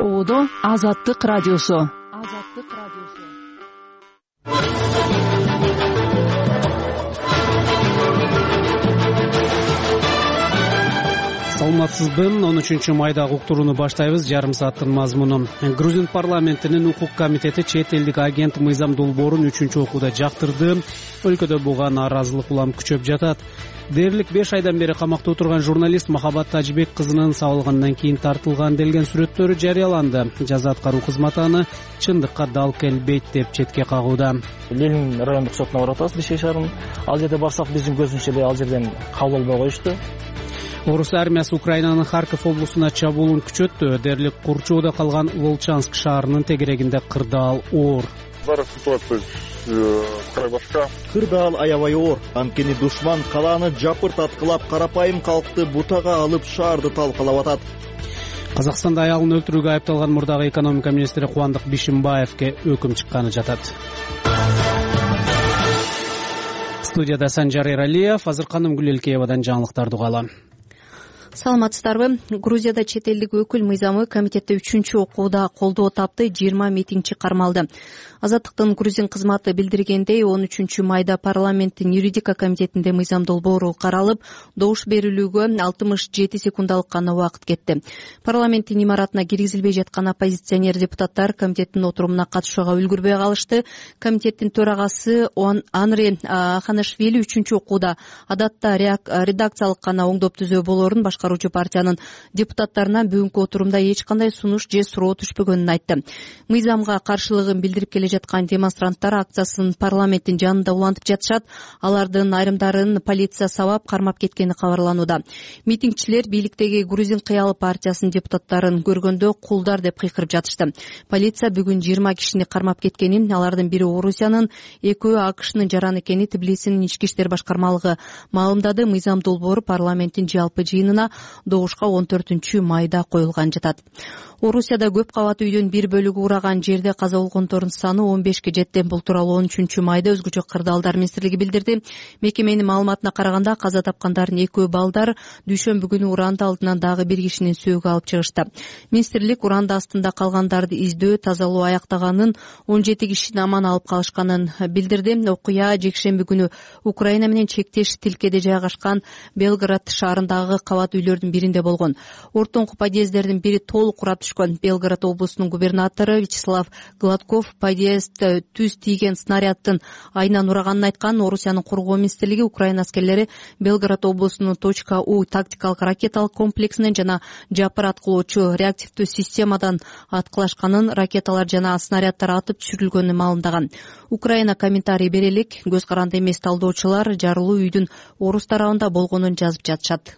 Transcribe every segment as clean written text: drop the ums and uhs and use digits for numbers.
Оодо Азаттык радиосу. Саламатсызбы? 13-майдагы уктурууну баштайбыз. Жарым сааттын мазмуну. Грузин парламентинин укук комитети чет элдик агент Мыйзам Долбоорун 3-окууда жактырды. Өлкөдө буга нааразылык улам күчөп жатат. Дээрлик 5 айдан бери камакта отурган журналист Махабат Тажибек кызынын сабылгандан кийин тартылган делген сүрөттөрү жарыяланды. Жаза аткаруу кызматы аны чындыкка дал келбейт деп четке кагууда. Ленин райондук сотуна барып атабыз Бишкек шаарынын. Ал жерде барсак биздин көзүмчө эле ал жерден кабыл албай коюшту. Орус армиясы Украинанын Харьков облусуна чабуулун күчөттү. Дээрлик Курчоодо калган Волчанск шаарынын тегерегинде кырдаал оор. Зараз ситуация край башка. Кырдаал аябай оор. Анткени душман калааны жапырт аткылап, карапайым калкты бутага алып шаарды талкалап атат. Казакстанда аялын өлтүрүүгө айыпталган мурдагы экономика министри Кубандык Бишимбаевке өкүм чыкканы жатат. Студияда Санжар Эралиев, азыр Канымгүл Элкеевадан жаңылыктарды угалы. Саламатсыздарбы? Грузияда чет элдик өкүл мыйзамы комитетте 3-окууда колдоо тапты, 20 митингчи кармалды. Азаттыктын грузин кызматы билдиргендей, 13-майда парламенттин юридика комитетинде мыйзам долбоору каралып, добуш берилүүгө 67 секундалык гана убакыт кетти. Парламенттин имаратына киргизилбей жаткан оппозиционер депутаттар комитеттин отурумуна катышууга үлгүрбөй калышты. Комитеттин төрагасы Анри Ханашвили 3-окууда адатта редакциялык гана оңдоп түзөө болорун, башкаруучу партиянын депутаттарынан бүгүнкү отурумда эч кандай сунуш же суроо түшпөгөнүн айтты. Мыйзамга каршылыгын билдирип келе жаткан демонстранттар акциясын парламенттин жанында улантып жатышат. Алардын айрымдарын полиция сабап кармап кеткени кабарланууда. Митингчилер бийликтеги Грузин кыялы партиясынын депутаттарын көргөндө кулдар деп кыйкырып жатышты. Полиция бүгүн 20 кишини кармап кеткенин, алардын бири Орусиянын, экөө АКШнын жараны экени Тбилисинин ички иштер башкармалыгы маалымдады. Мыйзам долбоору парламенттин жалпы жыйынына добушка 14-майда коюлган жатат. Орусияда көп кабаттуу үйдөн бир бөлүгү ураган жерде каза болгондордун саны 15ке жетти. Бул тууралуу 13-майда өзгөчө кырдаалдар министрлиги билдирди. Мекеменин маалыматына караганда каза тапкандардын экөө балдар, дүйшөмбү күнү уранда алдынан дагы бир кишинин сөөгү алып чыгышты. Министрлик уранда астында калгандарды издөө, тазалоо аяктаганын, 17 кишини аман алып калышканын билдирди. Окуя жекшемби күнү Украина менен чектеш тилкеде жайгашкан Белград шаарындагы кабат үйлөрдүн биринде болгон. Ортоңку подъезддердин бири толук урап түшкөн. Белград облусунун губернатору Вячеслав Гладков подъезд түз тийген снаряддын айынан ураганын айткан. Орусиянын коргоо министрлиги Украина аскерлери Белград облусунун .У тактикалык ракеталык комплексинен жана жапыр аткылоочу реактивдүү системадан аткылашканын, ракеталар жана снаряддар атып түшүрүлгөнүн маалымдаган. Украина комментарий бере элек. Көз каранды эмес талдоочулар жарылуу үйдүн Орус тарабында болгонун жазып жатышат.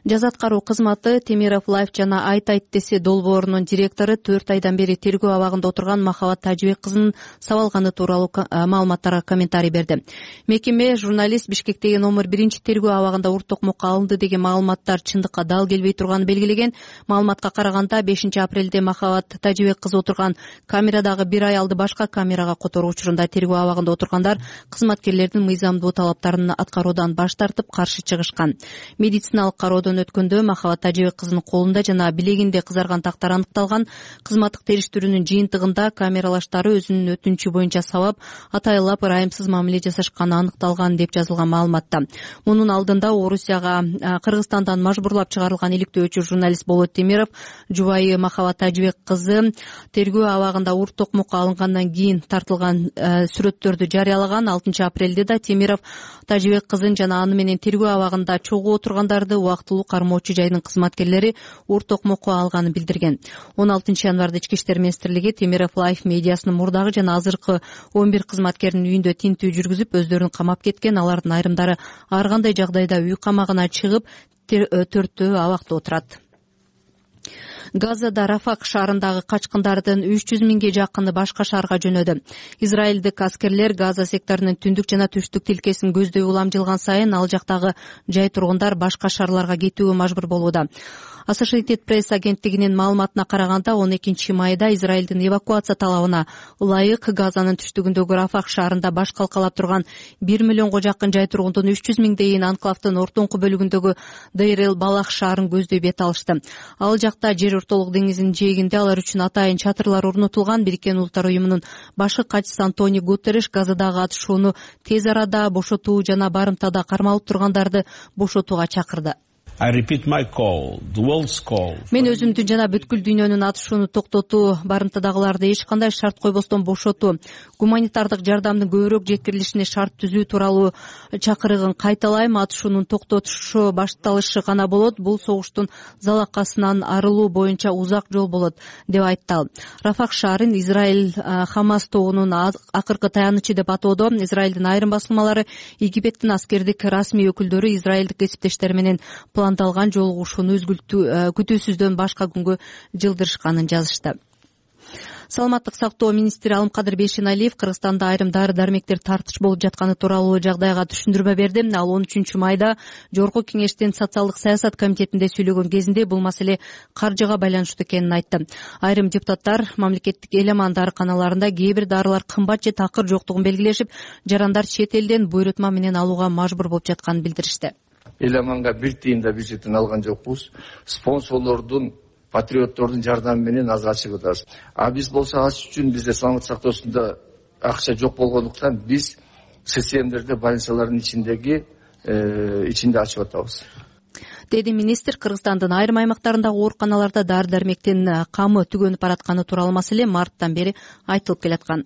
Жаза аткаруу кызматы Темиров Лайф жана Айт десе долбоорунун директору 4 айдан бери тергөө абагында отурган Махабат Тажибек кызынын сабалганы тууралуу маалыматтарга комментарий берди. Мекеме журналист Бишкектеги номер 1 тергөө абагында урт токмокко алынды деген маалыматтар чындыкка дал келбей турганын белгилеген. Маалыматка караганда 5 апрелде Махабат Тажибек кызы отурган камерадагы бир аялды башка камерага которуу учурунда тергөө абагында отургандар кызматкерлердин мыйзамдуу талаптарын аткаруудан баш тартып каршы чыгышкан. Медициналык кароодон өткөндө Махабат Тажибек кызынын колунда жана билегинде кызарган тактар аныкталган. Кызматтык териштирүүнүн жыйынтыгында камералаштары өзүнүн өтүнүчү боюнча сабап, атайлап ырайымсыз мамиле жасашканы аныкталган деп жазылган маалыматта. Мунун алдында Орусияга Кыргызстандан мажбурлап чыгарылган иликтөөчү журналист Болот Темиров жубайы Махабат Тажибек кызы тергөө абагында урт токмокко алынгандан кийин тартылган сүрөттөрдү жарыялаган. 6 апрелде да Темиров Тажибек кызын жана аны менен тергөө абагында чогуу отургандарды убактылуу кармоочу жайдын кызматкерлери урт токмокко алганын билдирген. 16 январда Ички иштер министрлиги Темиров Лайф медиасынын мурдагы жана азыркы 11 кызматкердин үйүндө тинтүү жүргүзүп, өздөрүн камап кеткен. Алардын айрымдары ар кандай жагдайда үй камагына чыгып, 4-төө абакта отурат. Газада Рафак шаарындагы качкындардын 300 миңге жакыны башка шаарга жөнөдү. Израилдик аскерлер Газа секторунун түндүк жана түштүк тилкесин көздөй улам жылган сайын ал жактагы жай тургундар башка шаарларга кетүүгө мажбур болууда. Associated Press агенттигинин маалыматына караганда 12 майда Израилдин эвакуация талабына ылайык Газанын түштүгүндөгү Рафак шаарында баш калкалап турган 1 миллионго жакын жай тургундун 300 миңдейин анклавдын ортоңку бөлүгүндөгү Дейр Балах шаарын көздөй бет алышты. Ал жакта жер ортолук деңизинин жээгинде алар үчүн атайын чатырлар орнотулган. Бириккен Улуттар уюмунун башкы катчысы Антонио Гутерриш Газадагы атышууну тез арада бошотуу жана барымтада кармалып тургандарды бошотууга чакырды. Мен өзүмдүн жана бүткүл дүйнөнүн атышууну токтотуу, барымтадагыларды эч кандай шарт койбостон бошотуу, гуманитардык жардамдын көбүрөөк жеткирилишине шарт түзүү тууралуу чакырыгын кайталайм. Атышуунун токтотушу башталышы гана болот. Бул согуштун залакасынан арылуу боюнча узак жол болот, деп айтты ал. Рафак шаарын Израиль Хамас тобунун акыркы таянычы деп атоодо. Израилдин айрым басылмалары Египеттин аскердик расмий өкүлдөрү израилдик кесиптештери менен пландалган жолугушууну күтүүсүздөн башка күнгө жылдырышканын жазышты. Саламаттык сактоо министри Алымкадыр Бейшеналиев Кыргызстанда айрым дары-дармектер тартыш болуп жатканы тууралуу жагдайга түшүндүрмө берди. Ал 13 майда Жогорку Кеңештин социалдык саясат комитетинде сүйлөгөн кезинде бул маселе каржыга байланыштуу экенин айтты. Айрым депутаттар мамлекеттик элеман дарыканаларында кээ бир дарылар кымбат же такыр жоктугун белгилешип, жарандар чет элден буйрутма менен алууга мажбур болуп жатканын билдиришти. Эламанга бир тыйын да бюджеттен алган жокпуз. Спонсорлордун, патриоттордун жардамы менен аз ачып атабыз. Биз болсо аш үчүн бизде саламаттык сактоосунда акча жок болгондуктан биз ССМдерде больницалардын ичинде ачып атабыз, деди министр. Кыргызстандын айрым аймактарындагы ооруканаларда дары-дармектин камы түгөнүп баратканы тууралуу маселе марттан бери айтылып келаткан.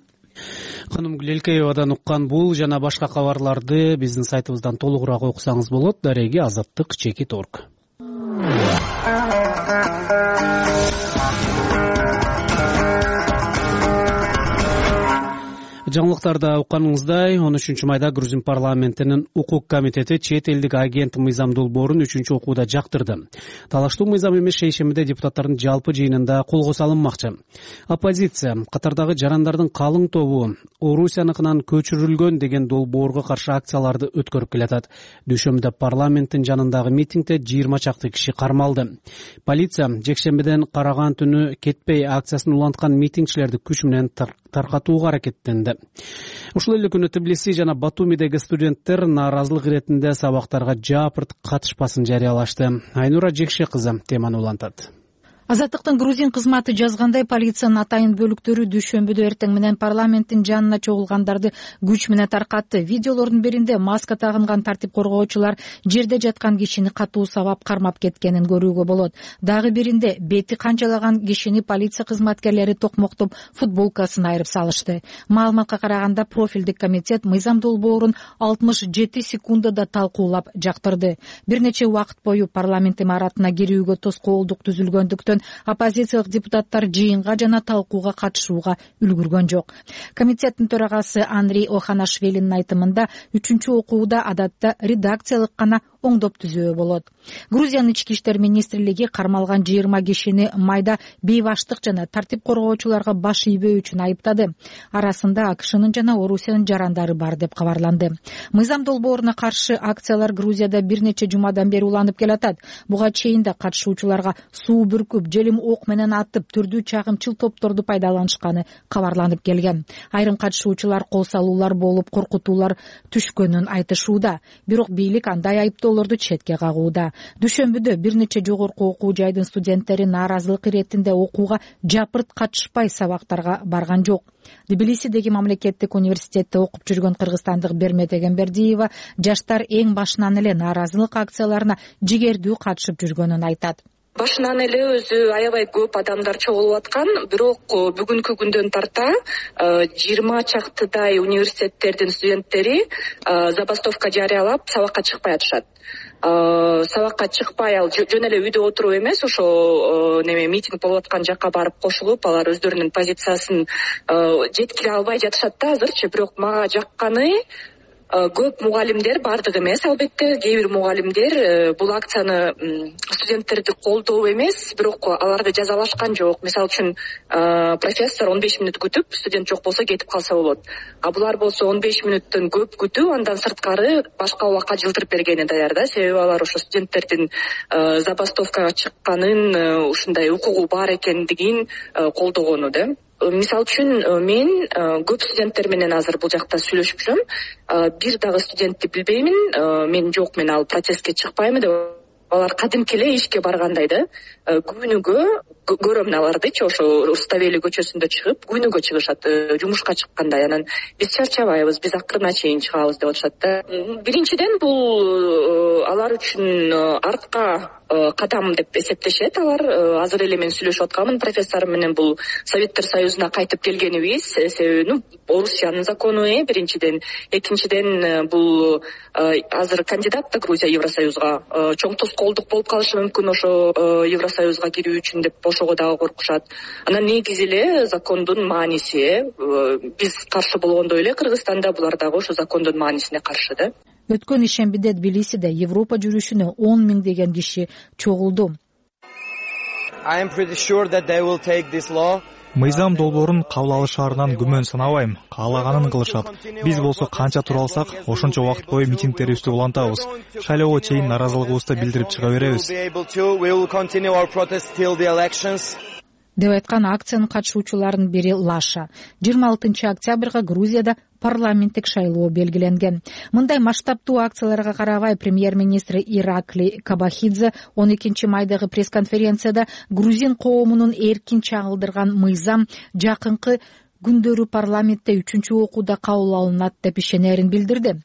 Ханым Гүлелкеевадан уккан бул жана башка кабарларды биздин сайтыбыздан толугураак окусаңыз болот. Дареги Азаттык.org. Жаңылыктарда укканыңыздай 13 майда Грузин парламентинин укук комитети чет элдик агент Мыйзам Долбоорун 3-окууда жактырды. Талаштуу мыйзам эмес шейшембиде депутаттардын жалпы жыйынында колго салынмакчы. Оппозиция катардагы жарандардын калың тобу Орусияныкынан көчүрүлгөн деген долбоорго каршы акцияларды өткөрүп келатат. Дүйшөмбүдө парламенттин жанындагы митингде 20 чакты киши кармалды. Полиция жекшембиден караган түнү кетпей акциясын уланткан митингчилерди күч менен таркатууга аракеттенди. Ушул эле күнү Тбилиси жана Батумидеги студенттер нааразылык иретинде сабактарга жапырт катышпасын жарыялашты. Айнура Жекше кызы теманы улантат. Азаттыктын грузин кызматы жазгандай, полициянын атайын бөлүктөрү дүйшөмбүдө эртең менен парламенттин жанына чогулгандарды күч менен таркатты. Видеолордун биринде маска тагынган тартип коргоочулар жерде жаткан кишини катуу сабап кармап кеткенин көрүүгө болот. Дагы биринде бети канчалаган кишини полиция кызматкерлери токмоктоп футболкасын айырып салышты. Маалыматка караганда профилдик комитет Мыйзам Долбоорун 67 секундада талкуулап жактырды. Бир нече убакыт бою парламент имаратына кирүүгө тоскоолдук түзүлгөндүктөн оппозициялык депутаттар жыйынга жана талкууга катышууга үлгүргөн жок. Комитеттин төрагасы Андрей Оханашвилинин айтымында 3-окууда адатта редакциялык гана оңдоп түзөө болот. Грузиянын ички иштер министрлиги кармалган 20 кишини майда бейбаштык жана тартип коргоочуларга баш ийбөө үчүн айыптады. Арасында АКШнын жана Орусиянын жарандары бар деп кабарланды. Мыйзам Долбооруна каршы акциялар Грузияда бир нече жумадан бери уланып келатат. Буга чейин да катышуучуларга суу бүркүп, желим ок менен атып, түрдүү чагымчыл топторду пайдаланышканы кабарланып келген. Айрым катышуучулар кол салуулар болуп, коркутуулар түшкөнүн айтышууда. Бирок бийлик андай айыптоолорду четке кагууда. Дүйшөмбүдө бир нече жогорку окуу жайдын студенттери нааразылык иретинде окууга жапырт катышпай сабактарга барган жок. Тбилисидеги мамлекеттик университетте окуп жүргөн кыргызстандык Бермет Эгембердиева жаштар эң башынан эле нааразылык акцияларына жигердүү катышып жүргөнүн айтат. Башынан эле өзү аябай көп адамдар чогулуп аткан, бирок бүгүнкү күндөн тарта 20 чактыдай университеттердин студенттери забастовка жарыялап сабакка чыкпай атышат. Сабакка чыкпай, ал жөн эле үйдө отуруу эмес, ошо митинг болуп аткан жакка барып кошулуп, алар өздөрүнүн позициясын жеткире албай жатышат да азырчы. Бирок мага жакканы көп мугалимдер, баардыгы эмес албетте, кээ бир мугалимдер бул акцияны студенттерди колдоо эмес, бирок аларды жазалашкан жок. Мисалы үчүн профессор 15 мүнөт күтүп, студент жок болсо кетип калса болот. А булар болсо 15 мүнөттөн көп күтүү, андан сырткары башка убакка жылдырып бергени даяр да. Себеби алар ошо студенттердин забастовкага чыкканын, ушундай укугу бар экендигин колдогону да. Мисалы үчүн мен көп студенттер менен азыр бул жакта сүйлөшүп жүрөм. Бир дагы студентти билбеймин, мен жок, мен ал протестке чыкпайм деп. Алар кадимки эле ишке баргандай да. Күнүгө көрөм алардычы ошо Руставели көчөсүндө чыгып, күнүгө чыгышат, жумушка чыккандай. Анан биз чарчабайбыз, биз акырына чейин чыгабыз деп атышат да. Биринчиден бул алар үчүн артка кадам деп эсептешет. Алар азыр эле мен сүйлөшүп атканмын профессорум менен, бул Советтер Союзуна кайтып келгенибиз. Себеби Орусиянын закону биринчиден, экинчиден бул азыр кандидат да Грузия Евросоюзга, чоң тоскоолдук болуп калышы мүмкүн ошо Евросоюзга кирүү үчүн деп ошого дагы коркушат. Анан негизи эле закондун мааниси, биз каршы болгондой эле Кыргызстанда булар дагы ошо закондун маанисине каршы да. Өткөн ишембиде Тбилисиде Европа жүрүшүнө 10 миңдеген киши чогулду. Мыйзам долбоорун кабыл алышаарынан күмөн санабайм. Каалаганын кылышат. Биз болсо канча тура алсак, ошончо убакыт бою митингдерибизди улантабыз. Шайлоого чейин нааразылыгыбызды билдирип чыга беребиз. Деп айткан акциянын катышуучуларынын бири Лаша. 26 октябрга Грузияда парламенттик шайлоо белгиленген. Мындай масштабтуу акцияларга карабай премьер-министри Иракли Кабахидзе 12 майдагы пресс-конференцияда грузин коомунун эркин чагылдырган мыйзам жакынкы күндөрү парламентте 3-окууда кабыл алынат деп ишенерин билдирди.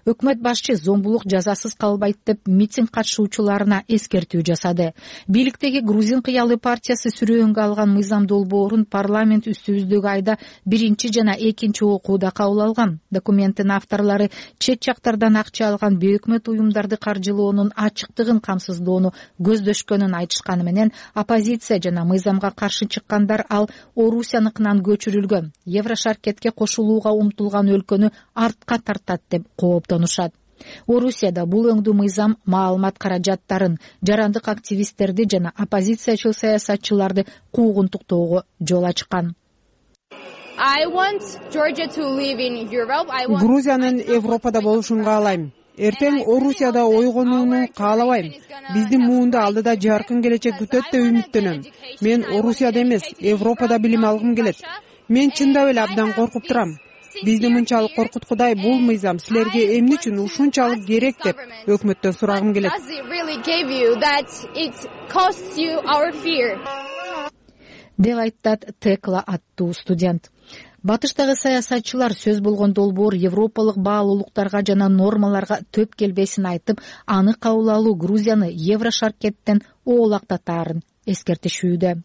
Өкмөт башчы зомбулук жазасыз калбайт деп митинг катышуучуларына эскертүү жасады. Бийликтеги Грузин кыялы партиясы сүрөөнгө алган мыйзам долбоорун парламент үстүбүздөгү айда 1 жана 2 окууда кабыл алган. Документтин авторлору чет жактардан акча алган бейөкмөт уюмдарды каржылоонун ачыктыгын камсыздоону көздөшкөнүн айтышканы менен, оппозиция жана мыйзамга каршы чыккандар ал Орусияныкынан көчүрүлгөн, Еврошаркетке кошулууга умтулган өлкөнү артка тартат деп кооптонушат. Орусияда бул өңдүү мыйзам маалымат каражаттарын, жарандык активисттерди жана оппозициячыл саясатчыларды куугунтуктоого жол ачкан. Грузиянын Европада болушун каалайм. Эртең Орусияда ойгонууну каалабайм. Биздин муунду алдыда жаркын келечек күтөт деп үмүттөнөм. Мен Орусияда эмес, Европада билим алгым келет. Мен чындап эле абдан коркуп турам. Бизди мынчалык коркуткудай бул мыйзам силерге эмне үчүн ушунчалык керек деп өкмөттөн сурагым келет. Деп айтат Текла аттуу студент. Батыштагы саясатчылар сөз болгон долбоор европалык баалуулуктарга жана нормаларга төп келбесин айтып, аны кабыл алуу Грузияны Еврошаркеттен оолактатаарын эскертишүүдө.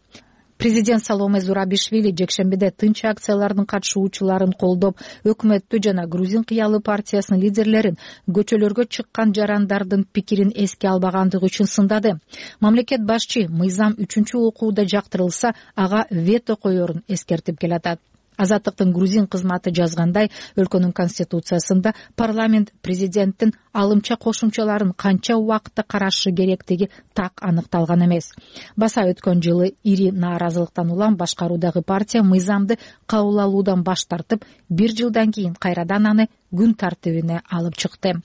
Президент Саломе Зурабишвили жекшембиде тынч акциялардын катышуучуларын колдоп, өкмөттү жана Грузин кыялы партиясынын лидерлерин көчөлөргө чыккан жарандардын пикирин эске албагандыгы үчүн сындады. Мамлекет башчы мыйзам 3-окууда жактырылса, ага вето коерун эскертип келатат. Азаттыктын грузин кызматы жазгандай, өлкөнүн конституциясында парламент президенттин алымча кошумчаларын канча убакытта карашы керектиги так аныкталган эмес. Баса өткөн жылы ири нааразылыктан улам башкаруудагы партия мыйзамды кабыл алуудан баш тартып, 1 жылдан кийин кайрадан аны күн тартибине алып чыкты.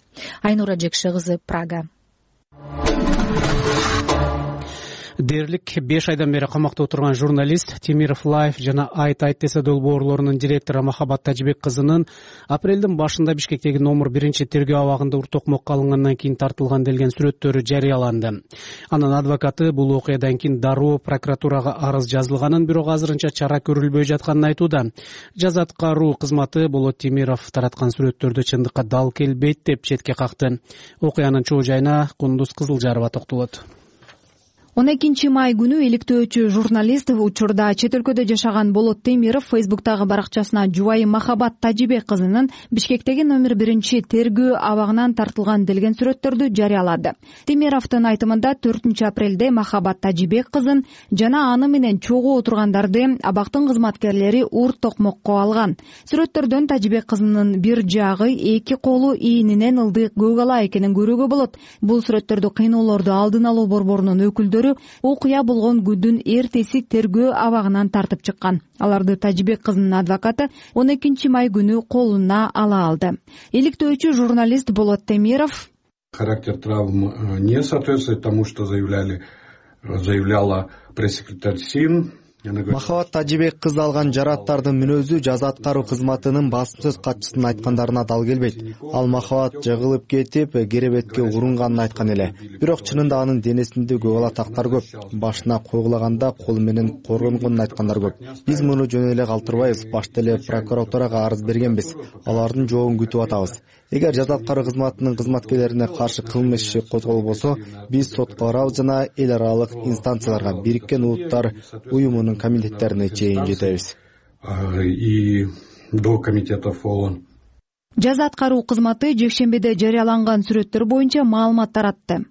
Айнура Жекше кызы, Прага. Дээрлик 5 айдан бери камакта отурган журналист Темиров Лайф жана Айт десе долбоорлорунун директору Махабат Тажибек кызынын апрелдин башында Бишкектеги номер 1-тергөө абагында уртокмокко алынгандан кийин тартылган делген сүрөттөрү жарыяланды. Анын адвокаты бул окуядан кийин дароо прокуратурага арыз жазылганын, бирок азырынча чара көрүлбөй жатканын айтууда. Жаза аткаруу кызматы Болот Темиров тараткан сүрөттөрдө чындыкка дал келбейт деп четке какты. Окуянын чоо жайына Кундуз Кызылжарова токтолот. 12 май күнү иликтөөчү журналист, учурда чет өлкөдө жашаган Болот Темиров Фейсбуктагы баракчасына жубайы Махабат Тажибек кызынын Бишкектеги номер 1 тергөө абагынан тартылган делген сүрөттөрдү жарыялады. Темировдун айтымында 4 апрелде Махабат Тажибек кызын жана аны менен чогуу отургандарды абактын кызматкерлери урт токмокко алган. Сүрөттөрдөн Тажибек кызынын бир жагы, эки колу ийининен ылдык көк ала экенин көрүүгө болот. Бул сүрөттөрдү кыйноолорду алдын алуу борборунун өкүлдөрү окуя болгон күндүн эртеси тергөө абагынан тартып чыккан. Аларды Тажибек кызынын адвокаты 12 май күнү колуна ала алды. Иликтөөчү журналист Болот Темиров: Характер травм не соответствует тому, что заявляла пресс-секретарь СИН. Махабат Тажибек кызы алган жараттардын мүнөзү жаза аткаруу кызматынын басым сөз катчысынын айткандарына дал келбейт. Ал Махабат жыгылып кетип, керебетке урунганын айткан эле. Бирок чынында анын денесинде көк ала тактар көп. Башына койгулаганда колу менен коргонгонун айткандар көп. Биз муну жөн эле калтырбайбыз. Башта эле прокуратурага арыз бергенбиз. Алардын жообун күтүп атабыз. Эгер жаза аткаруу кызматынын кызматкерлерине каршы кылмыш иши козголбосо, биз сотко барабыз жана эл аралык инстанцияларга, Бириккен Улуттар уюмунун комитеттерине чейин жетебиз. И до комитетов ООН. Жаза аткаруу кызматы жекшембиде жарыяланган сүрөттөр боюнча маалымат таратты.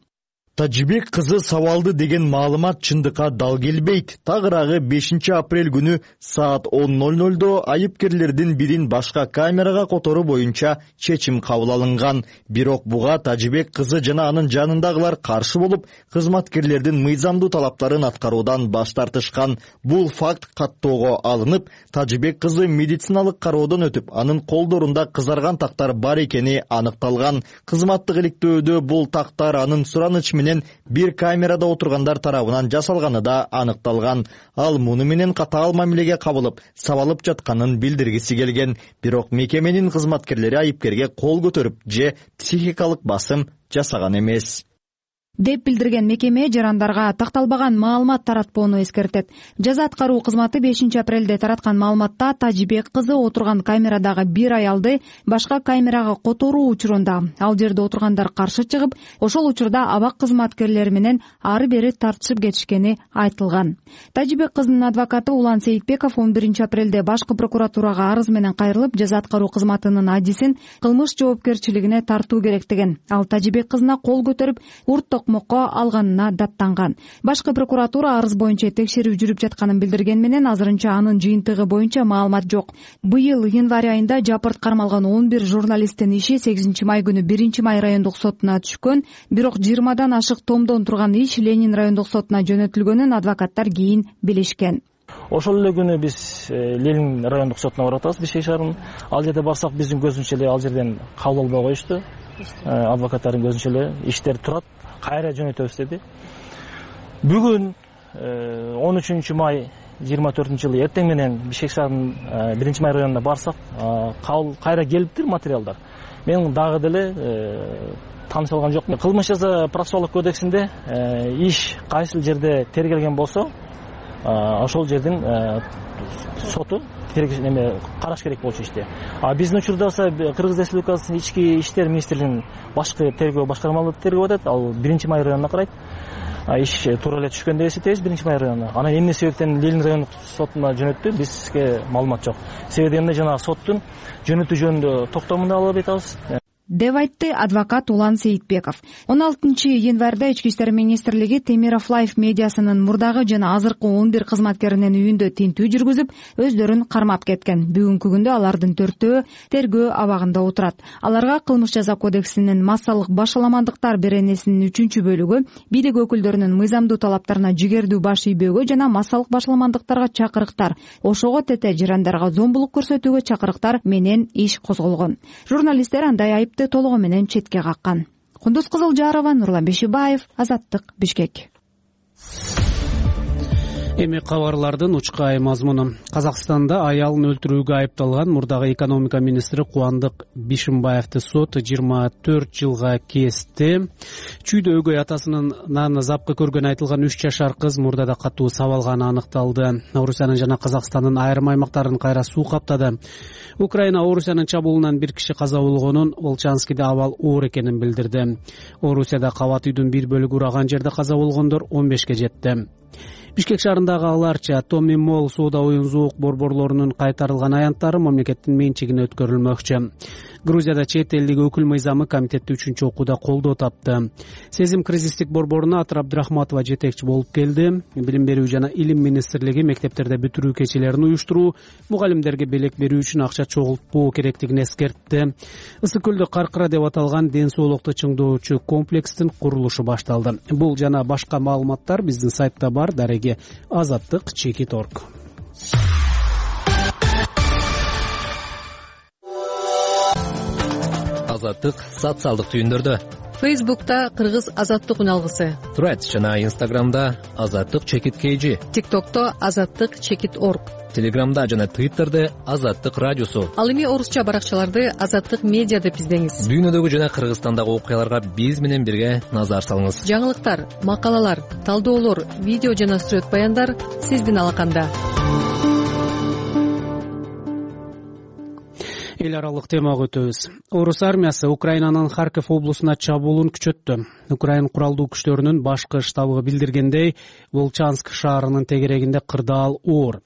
Тажибек кызы сабалды деген маалымат чындыкка дал келбейт. Тагыраагы 5 апрель күнү саат 10:00 айыпкерлердин бирин башка камерага которуу боюнча чечим кабыл алынган. Бирок буга Тажибек кызы жана анын жанындагылар каршы болуп, кызматкерлердин мыйзамдуу талаптарын аткаруудан баш тартышкан. Бул факт каттоого алынып, Тажибек кызы медициналык кароодон өтүп, анын колдорунда кызарган тактар бар экени аныкталган. Кызматтык иликтөөдө бул тактар анын сураныч менен бир камерада отургандар тарабынан жасалганы да аныкталган. Ал муну менен катаал мамилеге кабылып, сабалып жатканын билдиргиси келген. Бирок мекеменин кызматкерлери айыпкерге кол көтөрүп же психикалык басым жасаган эмес деп билдирген мекеме жарандарга такталбаган маалымат таратпоону эскертет. Жаза аткаруу кызматы 5 апрелде тараткан маалыматта Тажибек кызы отурган камерадагы бир аялды башка камерага которуу учурунда ал жерде отургандар каршы чыгып, ошол учурда абак кызматкерлери менен ары бери тартышып кетишкени айтылган. Тажибек кызынын адвокаты Улан Сейитбеков 11 апрелде башкы прокуратурага арыз менен кайрылып, жаза аткаруу кызматынын адисин кылмыш жоопкерчилигине тартуу керек деген. Ал Тажибек кызына кол көтөрүп, урт токмокко алганына даттанган. Башкы прокуратура арыз боюнча текшерүү жүрүп жатканын билдирген менен азырынча анын жыйынтыгы боюнча маалымат жок. Быйыл январь айында жапырт кармалган 11 журналисттин иши 8 май күнү 1 май райондук сотуна түшкөн, бирок 20дан ашык томдон турган иш Ленин райондук сотуна жөнөтүлгөнүн адвокаттар кийин билишкен. Ошол эле күнү биз Ленин райондук сотуна барып атабыз, Бишкек шаарынын. Ал жерде барсак биздин көзүнчө эле ал жерден кабыл албай коюшту. Адвокаттардын көзүнчө эле иштер турат, кайра жөнөтөбүз деди. Бүгүн 13 май 24 жылы эртең менен Бишкек шаарынын 1 май районуна барсак, кабыл кайра келиптир материалдар. Мен дагы деле таныша алган жокмун. Кылмыш жаза процессуалдык кодексинде иш кайсыл жерде тергелген болсо, ошол жердин соту караш керек болчу иште. Биздин учурда Кыргыз Республикасынын ички иштер министрлигинин башкы тергөө башкармалары тергөө атат. Ал 1 май районуна карайт. Иш туура эле түшкөн деп эсептейбиз 1 май районуна. Анан эмне себептен Ленин райондук сотуна жөнөттү, бизге маалымат жок. Себеби эмне жана соттун жөнөтүү жөнүндө токтомун ала атабыз деп айтты адвокат Улан Сейитбеков. 16 январда Ички иштер министрлиги Темиров Лайф медиасынын мурдагы жана азыркы 11 кызматкеринин үйүндө тинтүү жүргүзүп, өздөрүн кармап кеткен. Бүгүнкү күндө алардын 4-өө тергөө абагында отурат. Аларга кылмыш жаза кодексинин массалык башаламандыктар беренесинин 3-бөлүгү, бийлик өкүлдөрүнүн мыйзамдуу талаптарына жигердүү баш ийбөөгө жана массалык башаламандыктарга чакырыктар, ошого тете жарандарга зомбулук көрсөтүүгө чакырыктар менен иш козголгон. Журналисттер андай айып толугу менен четке каккан. Кундуз Кызылжарова, Нурлан Бешибаев, Азаттык, Бишкек. Эми кабарлардын учкай мазмуну. Казакстанда аялын өлтүрүүгө айыпталган мурдагы экономика министри Кубандык Бишимбаевди сот 24 жылга кести. Чүйдө өгөй атасынын запкы көргөнү айтылган 3 жашар кыз мурдада катуу сабалганы аныкталды. Орусиянын жана Казакстандын айрым аймактарын кайра суу каптады. Украина Орусиянын чабуулунан 1 киши каза болгонун, Волчанскиде абал оор экенин билдирди. Орусияда кабат үйдүн 1 бөлүгү ураган жерде каза болгондор 15ке жетти. Бишкек шаарындагы аларча Томми Молл соода оюн-зоок борборлорунун кайтарылган аянттары мамлекеттин менчигине өткөрүлмөкчү. Грузияда чет элдик өкүл мыйзамы комитетти 3-окууда колдоо тапты. Сезим кризистик борборуна Атыр Абдрахматова жетекчи болуп келди. Билим берүү жана илим министрлиги мектептерде бүтүрүү кечелерин уюштуруу, мугалимдерге белек берүү үчүн акча чогултпоо керектигин эскертти. Ысык көлдө Каркыра деп аталган ден соолукту чыңдоочу комплекстин курулушу башталды. Бул жана башка маалыматтар биздин сайтта бар. Дареги Азаттык Чекит.орг. Азаттык социалдык түйүндөрдө. Фейсбукта Кыргыз Азаттык үналгысы. Threads жана Инстаграмда Азаттык Чекит KG. ТикТокто Азаттык Чекит.орг. Телеграмда жана Твиттерде Азаттык радиосу. Ал эми орусча баракчаларды Азаттык медиа деп издеңиз. Дүйнөдөгү жана Кыргызстандагы окуяларга биз менен бирге назар салыңыз. Жаңылыктар, макалалар, талдоолор, видео жана сүрөт баяндар сиздин алаканда. Эл аралык темага өтөбүз. Орус армиясы Украинанын Харьков облусуна чабуулун күчөттү. Украин куралдуу күчтөрүнүн башкы штабы билдиргендей, Волчанск шаарынын тегерегинде кырдаал оор.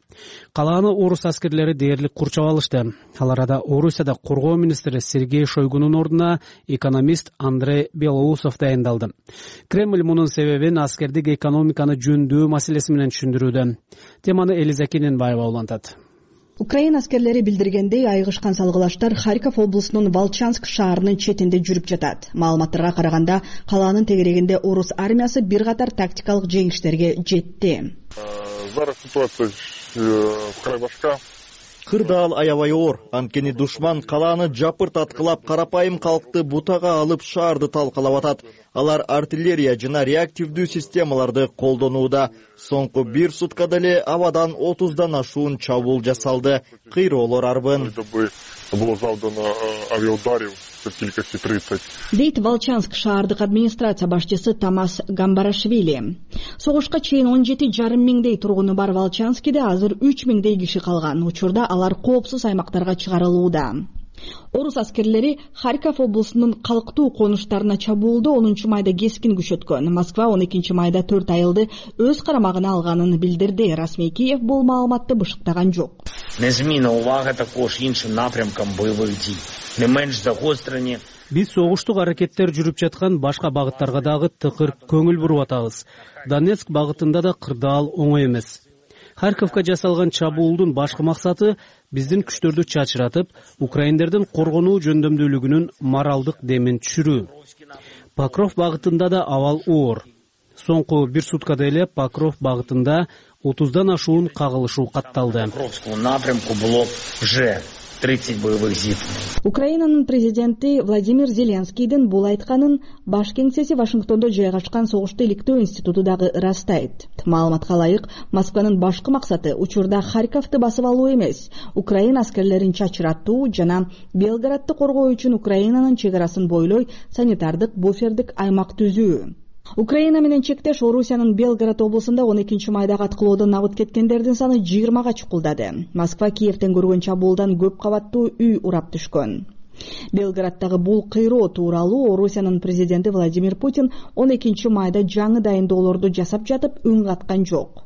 Калааны орус аскерлери дээрлик курчап алышты. Ал арада Орусияда коргоо министри Сергей Шойгунун ордуна экономист Андрей Белоусов дайындалды. Кремль мунун себебин аскердик экономиканы жөндөө маселеси менен түшүндүрүүдө. Теманы Элиза Кененбаева улантат. Украин аскерлери билдиргендей, айгышкан салгылаштар Харьков облусунун Волчанск шаарынын четинде жүрүп жатат. Маалыматтарга караганда, калаанын тегерегинде орус армиясы бир катар тактикалык жеңиштерге жетти. Зараз ситуация край башка. Кырдаал аябай оор. Анткени душман калааны жапырт аткылап, карапайым калкты бутага алып шаарды талкалап атат. Алар артиллерия жана реактивдүү системаларды колдонууда. Соңку 1 суткада эле абадан 30дан ашуун чабуул жасалды. Кыйроолор арбын. Было завдано авиаударов с килькости 30. Дейт Волчанск шаардык администрация башчысы Тамас Гамбарашвили. Согушка чейин 17,5 миңдей тургуну бар Волчанскиде азыр 3 миңдей киши калган. Учурда алар коопсуз аймактарга чыгарылууда. Орус аскерлери Харьков облусунун калктуу конуштарына чабуулду 10 майда кескин күчөткөн. Москва 12 майда 4 айылды өз карамагына алганын билдирди. Расмий Киев бул маалыматты бышыктаган жок. Незмінна увага також іншим напрямкам бойових дій. Не менш загострені. Биз согуштук аракеттер жүрүп жаткан башка багыттарга дагы тыкыр көңүл буруп атабыз. Донецк багытында да кырдаал оңой эмес. Харьковко жасалган чабуулдун башкы максаты биздин күчтөрдү чачыратып, украиндердин коргонуу жөндөмдүүлүгүнүн моралдык демин түшүрүү. Покров багытында да абал оор. Соңку 1 суткада эле Покров багытында 30дан ашуун кагылышуу катталды. Покровскому напрямку было уже 30 боевых зиткнений. Украинанын президенти Владимир Зеленскийдин бул айтканын баш кеңсеси Вашингтондо жайгашкан согушту иликтөө институту дагы ырастайт. Маалыматка ылайык, Москванын башкы максаты учурда Харьковду басып алуу эмес, Украин аскерлерин чачыратуу жана Белградты коргоо үчүн Украинанын чек арасын бойлой санитардык буфердик аймак түзүү. Украина менен чектеш Орусиянын Белград облусунда 12 майда аткылоодон абыт кеткендердин саны 20га чукулдады. Москва Киевден көргөн чабуулдан көп кабаттуу үй урап түшкөн. Белграддагы бул кыйроо тууралуу Орусиянын президенти Владимир Путин 12 майда жаңы дайындоолорду жасап жатып үн каткан жок.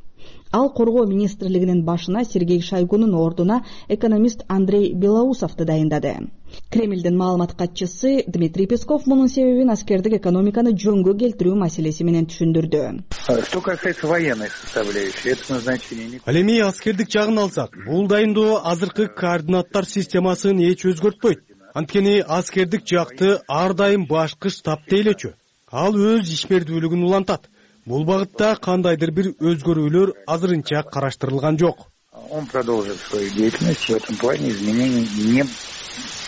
Ал коргоо министрлигинин башына Сергей Шойгунун ордуна экономист Андрей Белоусовду дайындады. Кремлдин маалымат катчысы Дмитрий Песков мунун себебин аскердик экономиканы жөнгө келтирүү маселеси менен түшүндүрдү. Что касается военной составляющей, это назначение. Ал эми аскердик жагын алсак, бул дайындоо азыркы координаттар системасын эч өзгөртпөйт. Анткени аскердик жакты ар дайым башкы штаб тейлечү. Ал өз ишмердүүлүгүн улантат. Бул багытта кандайдыр бир өзгөрүүлөр азырынча караштырылган жок. Он продолжит свою деятельность, в этом плане изменений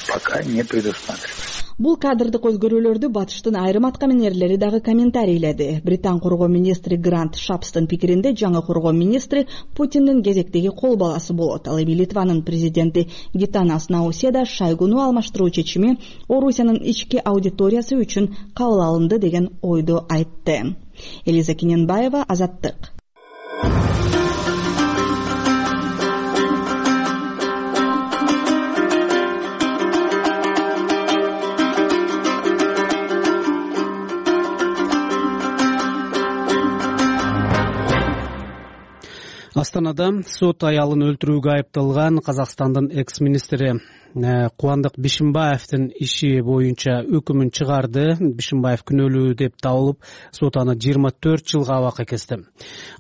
пока не предусматривается. Бул кадрдык өзгөрүүлөрдү батыштын айрым аткаминерлери дагы комментарийледи. Британ коргоо министри Грант Шапстын пикиринде жаңы коргоо министри Путиндин кезектеги кол баласы болот. Ал эми Литванын президенти Гитанас Науседа Шойгуну алмаштыруу чечими Орусиянын ички аудиториясы үчүн кабыл алынды деген ойду айтты. Элиза Кененбаева, Азаттык. Астанада сот аялын өлтүрүүгө айыпталган Казакстандын экс-министри Кубандык Бишимбаевдин иши боюнча өкүмүн чыгарды. Бишимбаев күнөөлүү деп табылып, сот аны 24 жылга абакка кести.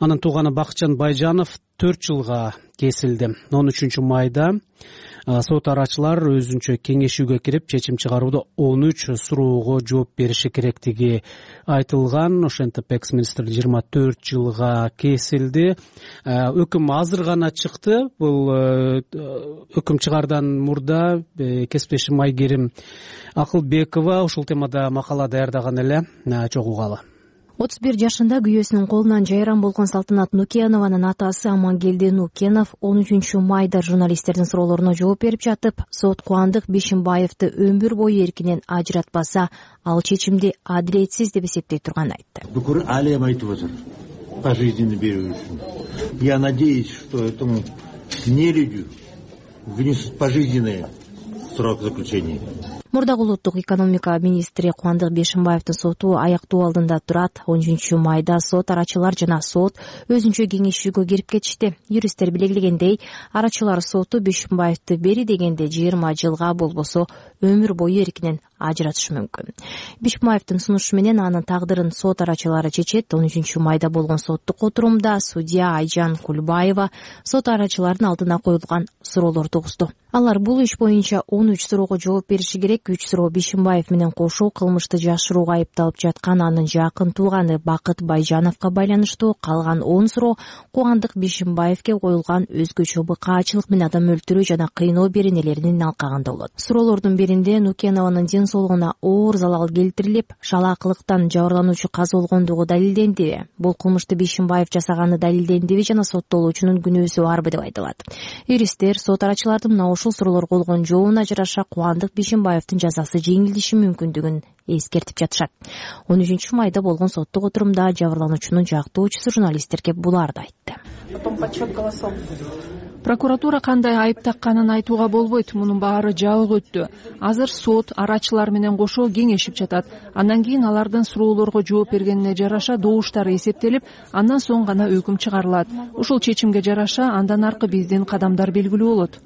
Анын тууганы Бакытжан Байжанов 4 жылга кесилди. 13 майда сот арачылар өзүнчө кеңешүүгө кирип, чечим чыгарууда 13 суроого жооп бериши керектиги айтылган. Ошентип экс-министр 24 жылга кесилди. Өкүм азыр гана чыкты. Бул өкүм чыгардан мурда кесиптешим Айгерим Акылбекова ушул темада макала даярдаган эле. Чогуу угалы. 31 жашында күйөөсүнүн колунан жайран болгон Салтанат Нукенованын атасы Амангелди Нукенов 13 майда журналисттердин суроолоруна жооп берип жатып, сот Кубандык Бишимбаевди өмүр бою эркинен ажыратпаса, ал чечимди адилетсиз деп эсептей турганын айтты. Бүкүл алем айтып отур пожизненно берүү үчүн. Я надеюсь, что этому нелюдю вынесут пожизненный срок заключения. Мурдагы улуттук экономика министри Кубандык Бишимбаевдин соту аяктоо алдында турат. 13 майда сот арачылар жана сот өзүнчө кеңешүүгө кирип кетишти. Юристтер белгилегендей, арачылар соту Бишимбаевди бери дегенде 20 жылга болбосо өмүр бою эркинен ажыратышы мүмкүн. Бишимбаевдин сунушу менен анын тагдырын сот арачылары чечет. 13 майда болгон соттук отурумда судья Айжан Кульбаева сот арачылардын алдына коюлган суроолорду угузду. Алар бул иш боюнча 13 суроого жооп бериши керек. 3 суроо Бишимбаев менен кошо кылмышты жашырууга айыпталып жаткан анын жакын тууганы Бакыт Байжановго байланыштуу. Калган 10 суроо Кубандык Бишимбаевге коюлган өзгөчө быкаачылык менен адам өлтүрүү жана кыйноо беренелеринин алкагында болот. Суроолордун биринде Нукенованын ден соолугуна оор залал келтирилип, шалаакылыктан жабырлануучу каза болгондугу далилденди. Бул кылмышты Бишимбаев жасаганы далилдендиби жана соттолуучунун күнөөсү барбы деп айтылат. Юристтер сот арачылардын мына ушул суроолорго болгон жообуна жараша Кубандык Бишимбаевдин жазасы жеңилдеши мүмкүндүгүн эскертип жатышат. 13 майда болгон соттук отурумда жабырлануучунун жактоочусу журналисттерге буларды айтты. Прокуратура кандай айып такканын айтууга болбойт. Мунун баары жабык өттү. Азыр сот арачылар менен кошо кеңешип жатат. Андан кийин алардын суроолорго жооп бергенине жараша добуштары эсептелип, андан соң гана өкүм чыгарылат. Ушул чечимге жараша андан аркы биздин кадамдар белгилүү болот.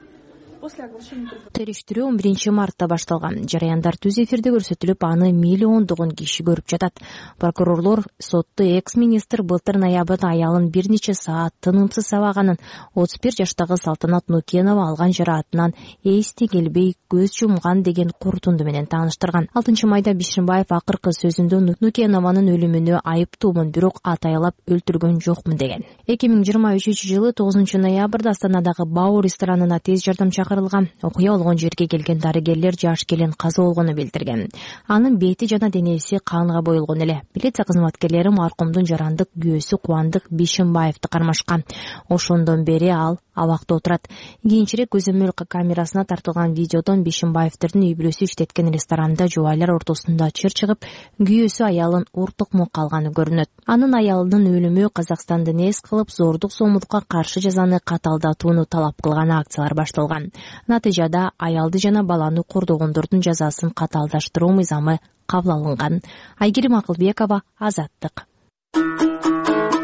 Териштирүү 11 мартта башталган. Жараяндар түз эфирде көрсөтүлүп, аны миллиондогон киши көрүп жатат. Прокурорлор сотто экс-министр былтыр ноябрда аялын бир нече саат тынымсыз сабаганын, 31 жаштагы Салтанат Нукенова алган жараатынан эсти келбей көз жумган деген корутунду менен тааныштырган. 6 майда Бишимбаев акыркы сөзүндө Нукенованын өлүмүнө айыптуумун, бирок атайлап өлтүргөн жокмун деген. 2023-жылы 9 ноябрда Астанадагы Бау ресторанына тез жардам окуя болгон жерге келген дарыгерлер жаш келин каза болгону билдирген. Анын бети жана денеси канга боелгон эле. Милиция кызматкерлери маркумдун жарандык күйөөсү Кубандык Бишимбаевди кармашкан. Ошондон бери ал абакта отурат. Кийинчерээк көзөмөл камерасына тартылган видеодон Бишимбаевдин үй бүлөсү иштеткен ресторанда жубайлар ортосунда чыр чыгып, күйөөсү аялын уртукму калганы көрүнөт. Анын аялынын өлүмү Казакстанды нес кылып, зордук зомбулукка каршы жазаны каталдатууну талап кылган акциялар башталган. Натыйжада аялды жана баланы кордогондордун жазасын каталдаштыруу мыйзамы кабыл алынган. Айгерим Акылбекова, Азаттык.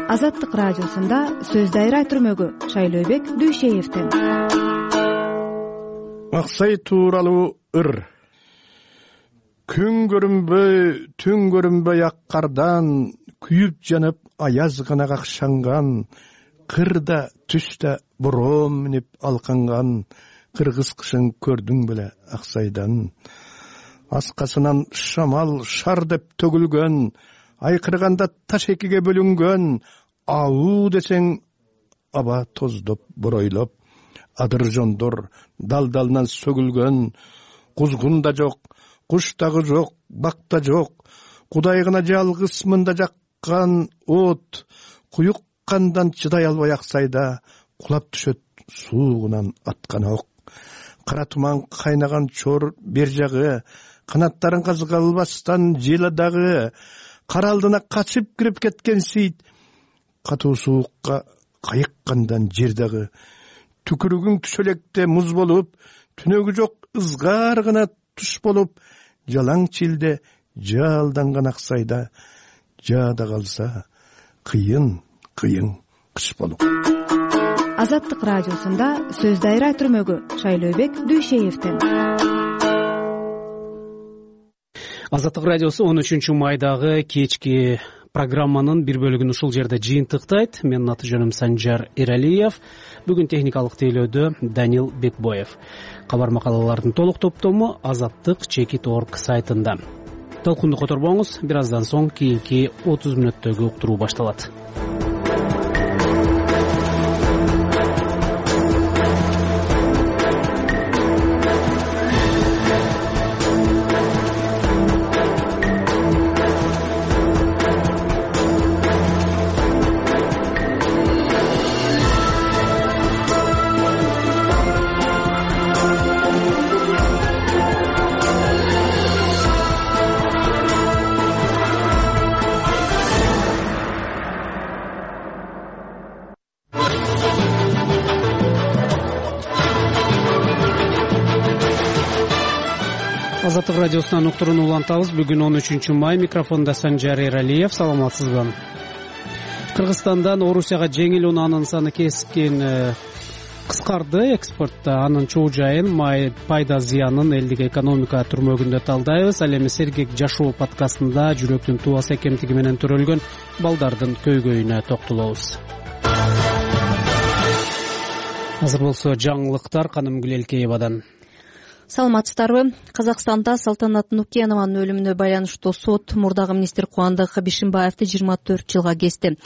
Азаттык радиосунда сөз дайра түрмөгү Шайлообек Дүйшеевдин. Аксай тууралуу ыр. Күн көрүнбөй, түн көрүнбөй ак кардан, күйүп жанып аяз гана какшанган, кырда түстө бороом минип алканган, кыргыз кышын көрдүң беле Аксайдан. Аскасынан шамал шар деп төгүлгөн, айкырганда таш экиге бөлүнгөн, ауу десең аба тоздоп боройлоп, адыр жондор дал-далынан сөгүлгөн, кузгун да жок, куш дагы жок, бак да жок. Кудай гана жалгыз мында жаккан от, куюк кандан чыдай албай аксайда кулап түшөт суугунан аткан ок. Кара туман кайнаган чор бер жагы, канаттарын казга албастан жел дагы, кара алдына качып кирип кеткен сейт, катуу суукка кайыккандан жер дагы. Түкүрүгүң түшөлекте муз болуп, түнөгү жок ызгар гана туш болуп, жалаң чилде жалданган аксайда жаада калса кыйын кыш болуп. Азаттык радиосунда сөз дайра түрмөгү Шайлообек Дүйшеевден. Азаттык радиосу 13 майдагы кечки программанын бир бөлүгүн ушул жерде жыйынтыктайт. Менин аты жөнүм Санжар Эралиев. Бүгүн техникалык тейлөөдө Данил Бекбоев. Кабар макалалардын толук топтому azattik.org сайтында. Толкунду которбоңуз, бир аздан соң кийинки 30 мүнөттөгү уктуруу башталат. Азаттык радиосунан уктурууну улантабыз. Бүгүн 13 май, микрофонда Санжар Эралиев. Саламатсызбы? Кыргызстандан Орусияга жеңил унаанын саны кескин кыскарды. Экспортто анын чоо жайын, пайда зыянын элдик экономика түрмөгүндө талдайбыз. Ал эми Сергек жашоо подкастында жүрөктүн тубасы экемтиги менен төрөлгөн балдардын көйгөйүнө токтолобуз. Азыр болсо жаңылыктар Каным Гүлелкеевадан. Саламатсыздарбы? Казакстанда Салтанат Нукенованын өлүмүнө байланыштуу сот мурдагы министр Кубандык Бишимбаевди 24 жылга кести.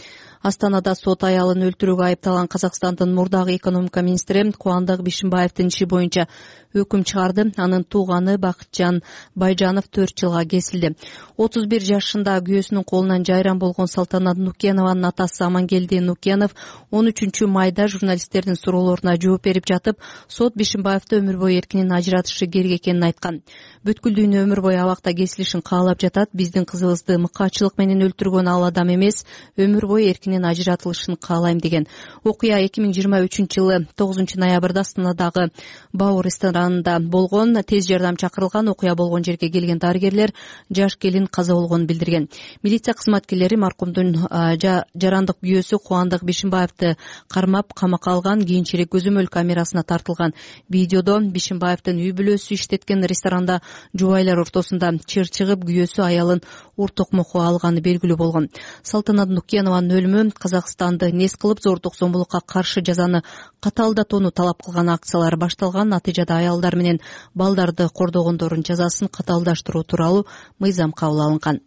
Астанада сот аялын өлтүрүүгө айыпталган Казакстандын мурдагы экономика министри Кубандык Бишимбаевдин иши боюнча өкүм чыгарды. Анын тууганы Бакытжан Байжанов 4 жылга кесилди. 31 жашында күйөөсүнүн колунан жайран болгон Салтанат Нукенованын атасы Амангелди Нукенов 13 майда журналисттердин суроолоруна жооп берип жатып, сот Бишимбаевди өмүр бою эркинен ажыратышы керек экенин айткан. Бүткүлдүүнү өмүр бою абакта кесилишин каалап жатат. Биздин кызыбызды мыкаачылык менен өлтүргөн ал адам эмес, өмүр бою эркинен ажыратылышын каалайм деген. Окуя 2023 жылы 9 ноябрда Астанадагы Баур ресторанында болгон. Тез жардам чакырылган. Окуя болгон жерге келген дарыгерлер жаш келин каза болгонун билдирген. Милиция кызматкерлери маркумдун жарандык күйөөсү Кубандык Бишимбаевди кармап камакка алган. Кийинчерээк көзөмөл камерасына тартылган видеодо Бишимбаевдин үй бүлөсү иштеткен ресторанда жубайлар ортосунда чыр чыгып, күйөөсү аялын ур токмокко алганы белгилүү болгон. Салтанат Нукенованын өлүмү Казакстанды нес кылып зордук-зомбулукка каршы жазаны катаалдатууну талап кылган акциялар башталган. Натыйжада аялдар менен балдарды кордогондордун жазасын катаалдаштыруу тууралуу мыйзам кабыл алынган.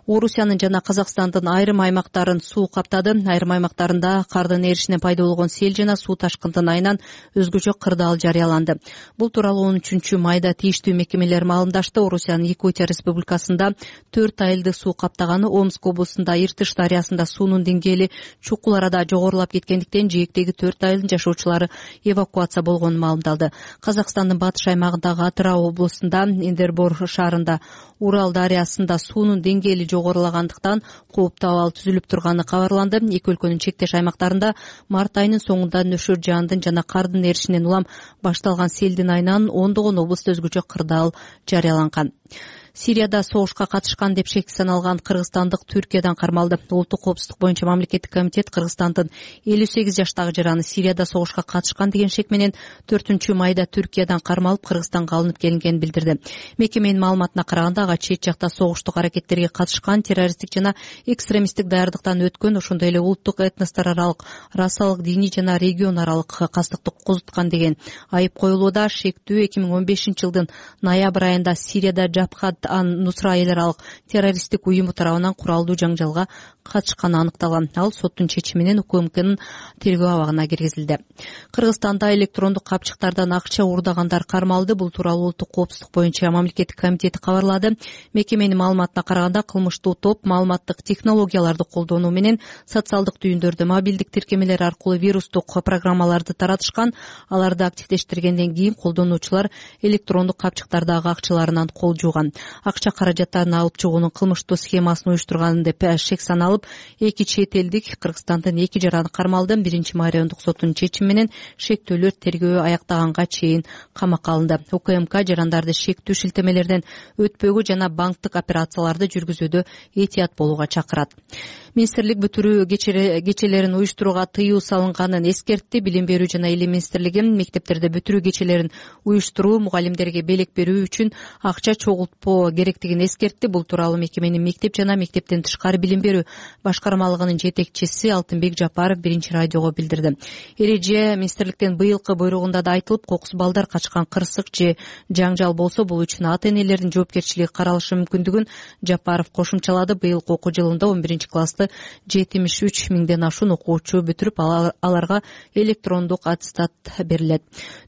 Орусиянын жана Казакстандын айрым аймактарын суу каптады. Айрым аймактарында кардын эришинен пайда болгон сел жана суу ташкындын айынан өзгөчө кырдаал жарыяланды. Бул тууралуу 13 майда тийиштүү мекемелер маалымдашты. Орусиянын Якутия Республикасында 4 айылды суу каптаганы, Омск облусунда Иртыш дарыясында суунун деңгээли чукул арада жогорулап кеткендиктен жээктеги 4 айылдын жашоочулары эвакуация болгону маалымдалды. Казакстандын батыш аймагындагы Атырау облусунда Эндербор шаарында Урал дарыясында суунун деңгээли жогорулагандыктан кооптуу абал түзүлүп турганы кабарланды. Эки өлкөнүн чектеш аймактарында март айынын соңунда нөшөр жаандын жана кардын эришинен улам башталган селдин айынан ондогон облустта өзгөчө кырдаал жарыяланган. Сирияда согушка катышкан деп шекке саналган кыргызстандык Түркиядан кармалды. Улуттук коопсуздук боюнча мамлекеттик комитет Кыргызстандын 58 жаштагы жараны Сирияда согушка катышкан деген шек менен 4 майда Түркиядан кармалып Кыргызстанга алынып келингенин билдирди. Мекеменин маалыматына караганда ага чет жакта согуштук аракеттерге катышкан, террористтик жана экстремисттик даярдыктан өткөн, ошондой эле улуттук этностор аралык, расалык, диний жана регион аралык кастыктык козуткан деген айып коюлууда. Шектүү 2015 жылдын ноябрь айында Сирияда Жабхат ан-Нусра эл аралык террористтик уюму тарабынан куралдуу жаңжалга катышканы аныкталган. Ал соттун чечими менен УКМКнын тергөө абагына киргизилди. Кыргызстанда электрондук капчыктардан акча уурдагандар кармалды. Бул тууралуу улуттук коопсуздук боюнча мамлекеттик комитети кабарлады. Мекеменин маалыматына караганда кылмыштуу топ маалыматтык технологияларды колдонуу менен социалдык түйүндөрдө мобилдик тиркемелер аркылуу вирустук программаларды таратышкан. Аларды активдештиргенден кийин колдонуучулар электрондук капчыктардагы акчаларынан кол жууган. Акча каражаттарын алып чыгуунун кылмыштуу схемасын уюштурган деп шек саналып, 2 чет элдик Кыргызстандын 2 жараны кармалды. 1-май райондук соттун чечими менен шектөөлөр тергөө аяктаганга чейин камакка алынды. УКМК жарандарды шектүү шилтемелерден өтпөгө жана банктык операцияларды жүргүзүүдө этият болууга чакырат. Министрлик бүтүрүү кечелерин уюштурууга тыюу салынганын эскертти. Билим берүү жана илим министрлиги мектептерде бүтүрүү кечелерин уюштуруу, мугалимдерге белек берүү үчүн акча чогултпоо керектигин эскертти. Бул тууралуу мекеменин мектеп жана мектептен тышкары билим берүү башкармалыгынын жетекчиси Алтынбек Жапаров 1-радиого билдирди. Эреже министрликтен быйылкы буйругунда да айтылып, кокус балдар качкан кырсык же жаңжал болсо бул үчүн ата-энелердин жоопкерчилиги каралышы мүмкүндүгүн Жапаров кошумчалады. Быйылкы окуу жылында 11-классты 73 миңден ашуун окуучу бүтүрүп, аларга электрондук аттестат берилет.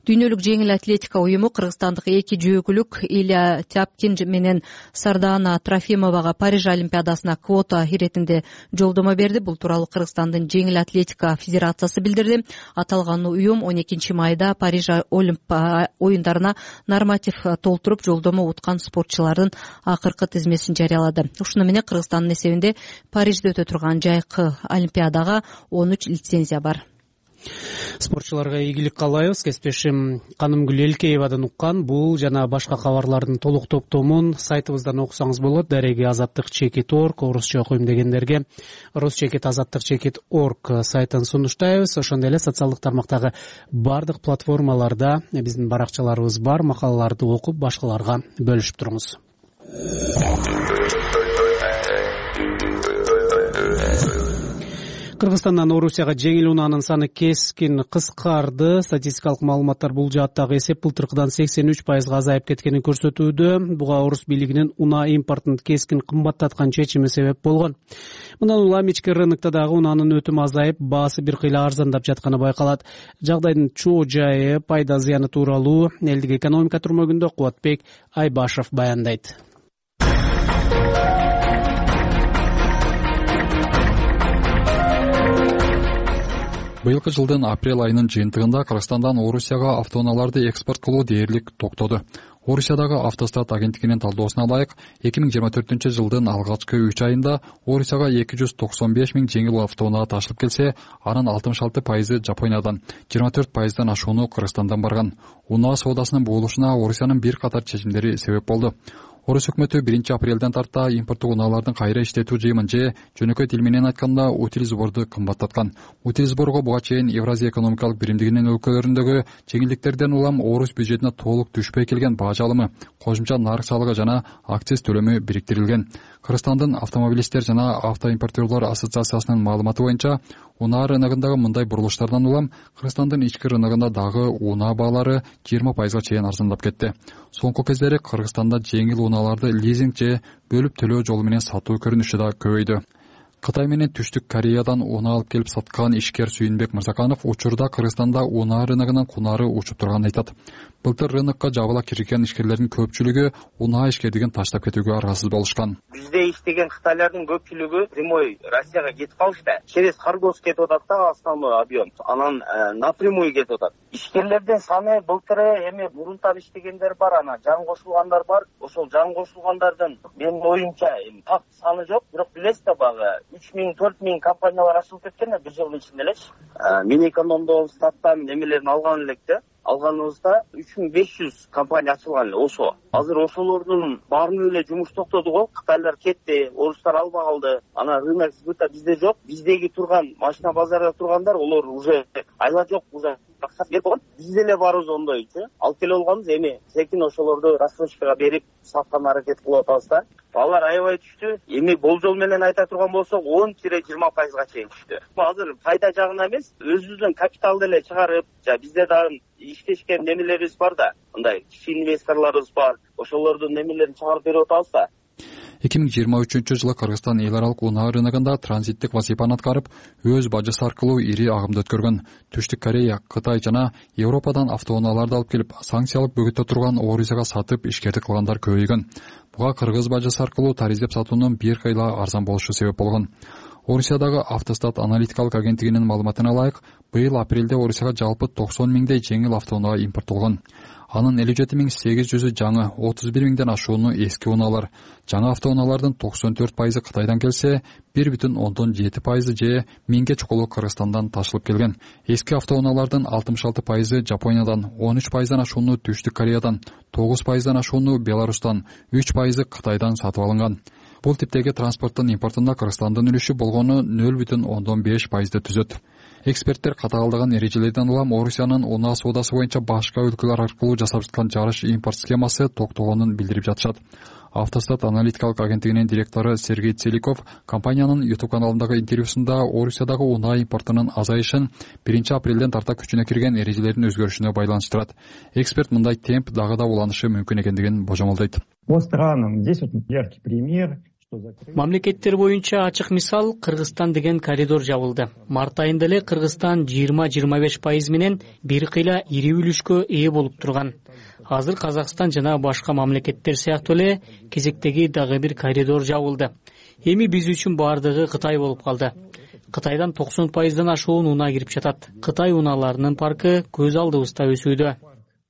Дүйнөлүк жеңил атлетика уюму кыргызстандык 2 жөөгүлүк Илья Тяпкин менен Сардана Трофимовага Париж олимпиадасына квота иретинде жолдомо берди. Бул тууралуу Кыргызстандын жеңил атлетика федерациясы билдирди. Аталган уюм 12 майда Париж оюндарына норматив толтуруп, жолдомо уткан спортчулардын акыркы тизмесин жарыялады. Ушуну менен Кыргызстандын эсебинде Парижде өтө турган жайкы олимпиадага 13 лицензия бар. Спортчуларга ийгилик каалайбыз. Кесиптешим Канымгүл Элкеевадан уккан бул жана башка кабарлардын толук топтомун сайтыбыздан окусаңыз болот. Дареги azattik.org, орусча окуйм дегендерге rusчекит.azattik.org сайтын сунуштайбыз. Ошондой эле социалдык тармактагы бардык платформаларда биздин баракчаларыбыз бар. Макалаларды окуп башкаларга бөлүшүп туруңуз. Кыргызстандан Орусияга жеңил унаанын саны кескин кыскарды. Статистикалык маалыматтар бул жааттагы эсеп былтыркыдан 83% азайып кеткенин көрсөтүүдө. Буга Орус бийлигинин унаа импортун кескин кымбаттаткан чечими себеп болгон. Мындан улам ички рынокто дагы унаанын өтүмү азайып, баасы бир кыйла арзандап жатканы байкалат. Жагдайдын чоо жайы, пайда зыяны тууралуу элдик экономика түрмөгүндө Кубатбек Айбашев баяндайт. Быйылкы жылдын апрель айынын жыйынтыгында Кыргызстандан Орусияга автоунааларды экспорт кылуу дээрлик токтоду. Орусиядагы автостат агенттигинин талдоосуна ылайык, 2024-жылдын алгачкы 3 айында Орусияга 295 миң жеңил автоунаа ташылып келсе, анын 66% Жапониядан, 24% ашууну Кыргызстандан барган. Унаа соодасынын буулушуна Орусиянын бир катар чечимдери себеп болду. Орус өкмөтү 1-апрелден тарта импорттук унаалардын кайра иштетүү жыйымын же жөнөкөй тил менен айтканда утил сборду кымбаттаткан. Утил сборго буга чейин Евразия экономикалык биримдигинин өлкөлөрүндөгү жеңилдиктерден улам Орус бюджетине толук түшпөй келген баа жалымы, кошумча нарык салыгы жана акциз төлөмү бириктирилген. Кыргызстандын автомобилисттер жана автоимпортерлор ассоциациясынын маалыматы боюнча, унаа рыногундагы мындай бурулуштардан улам Кыргызстандын ички рыногунда дагы унаа баалары 20% чейин арзандап кетти. Соңку кездери Кыргызстанда жеңил унааларды лизинг же бөлүп төлөө жолу менен сатуу көрүнүшү да көбөйдү. Кытай менен Түштүк Кореядан унаа алып келип саткан ишкер Сүйүнбек Мырзаканов учурда Кыргызстанда унаа рыногунун кунары учуп турганын айтат. Былтыр рынокко жабыла кирген ишкерлердин көпчүлүгү унаа ишкерлигин таштап кетүүгө аргасыз болушкан. Бизде иштеген кытайлардын көпчүлүгү зимой Россияга кетип калышты. Через Харгос кетип атат да основной объем. Анан напрямую кетип атат. Ишкерлердин саны былтыры эми мурунтан иштегендер бар, анан жан кошулгандар бар. Ошол жан кошулгандардын менин оюмча так саны жок, бирок билесиз да багы 3 миң 4 миң компаниялар ачылып кеткен бир жылдын ичинде элечи. Мен экономдо статтан немелерин алган электе. Алганыбызда 3500 компания ачылган эле ошо. Азыр ошолордун баарынын эле жумуш токтоду го. Кытайлар кетти, орустар албай калды. Анан рынок сбыта бизде жок. Биздеги турган машина базарда тургандар, олар уже айла жок, уже акча берип койгон. Биз деле барыбыз ондойчу. Алып келе алганбыз, эми секин ошолорду рассрочкага берип саткан аракет кылып атабыз да. Балар аябай түштү. Эми болжол менен айта турган болсок 10-20%га чейин түштү. Азыр пайда жагына эмес, өзүбүздүн капиталды эле чыгарып, бизде дагы иштешкен немелерибиз бар да, мындай кичи инвесторлорубуз бар. Ошолордун немелерин чыгарып берип атабыз да. 2023 жылы Кыргызстан эл аралык унаа рыногунда транзиттик вазифаны аткарып, өз бажысы аркылуу ири агымды өткөргөн. Түштүк Корея, Кытай жана Европадан автоунааларды алып келип, санкциялык бөгөттө турган Орусияга сатып ишкердик кылгандар көбөйгөн. Буга кыргыз бажысы аркылуу тариздеп сатуунун бир кыйла арзан болушу себеп болгон. Орусиядагы Автостат аналитикалык агенттигинин маалыматына ылайык, быйыл апрелде Орусияга жалпы 90 миңдей жеңил автоунаа импорттолгон. Анын 57.800 жаңы, 31 миңден ашууну эски унаалар. Жаңы автоунаалардын 94% Кытайдан келсе, 1,7% же 1000ге чукулу Кыргызстандан ташылып келген. Эски автоунаалардын 66% Жапониядан, 13%дан ашууну Түштүк Кореядан, 9%дан ашууну Беларустан, 3% Кытайдан сатып алынган. Бул типтеги транспорттун импортунда Кыргызстандын үлүшү болгону 0,5%ды түзөт. Эксперттер катаалдаган эрежелерден улам Орусиянын унаа соодасы боюнча башка өлкөлөр аркылуу жасап жаткан жарыш импорт схемасы токтогонун билдирип жатышат. Автостат аналитикалык агенттигинин директору Сергей Целиков компаниянын YouTube каналындагы интервьюсунда Орусиядагы унаа импортунун азайышын 1 апрелден тарта күчүнө кирген эрежелердин өзгөрүшүнө байланыштырат. Эксперт мындай темп дагы да уланышы мүмкүн экендигин божомолдойт. По странам здесь вот яркий пример. Мамлекеттер боюнча ачык мисал Кыргызстан деген коридор жабылды. Март айында эле Кыргызстан 20-25% менен бир кыйла ири үлүшкө ээ болуп турган. Азыр Казакстан жана башка мамлекеттер сыяктуу эле кезектеги дагы бир коридор жабылды. Эми биз үчүн бардыгы Кытай болуп калды. Кытайдан 90%дан ашуун унаа кирип жатат. Кытай унааларынын паркы көз алдыбызда өсүүдө.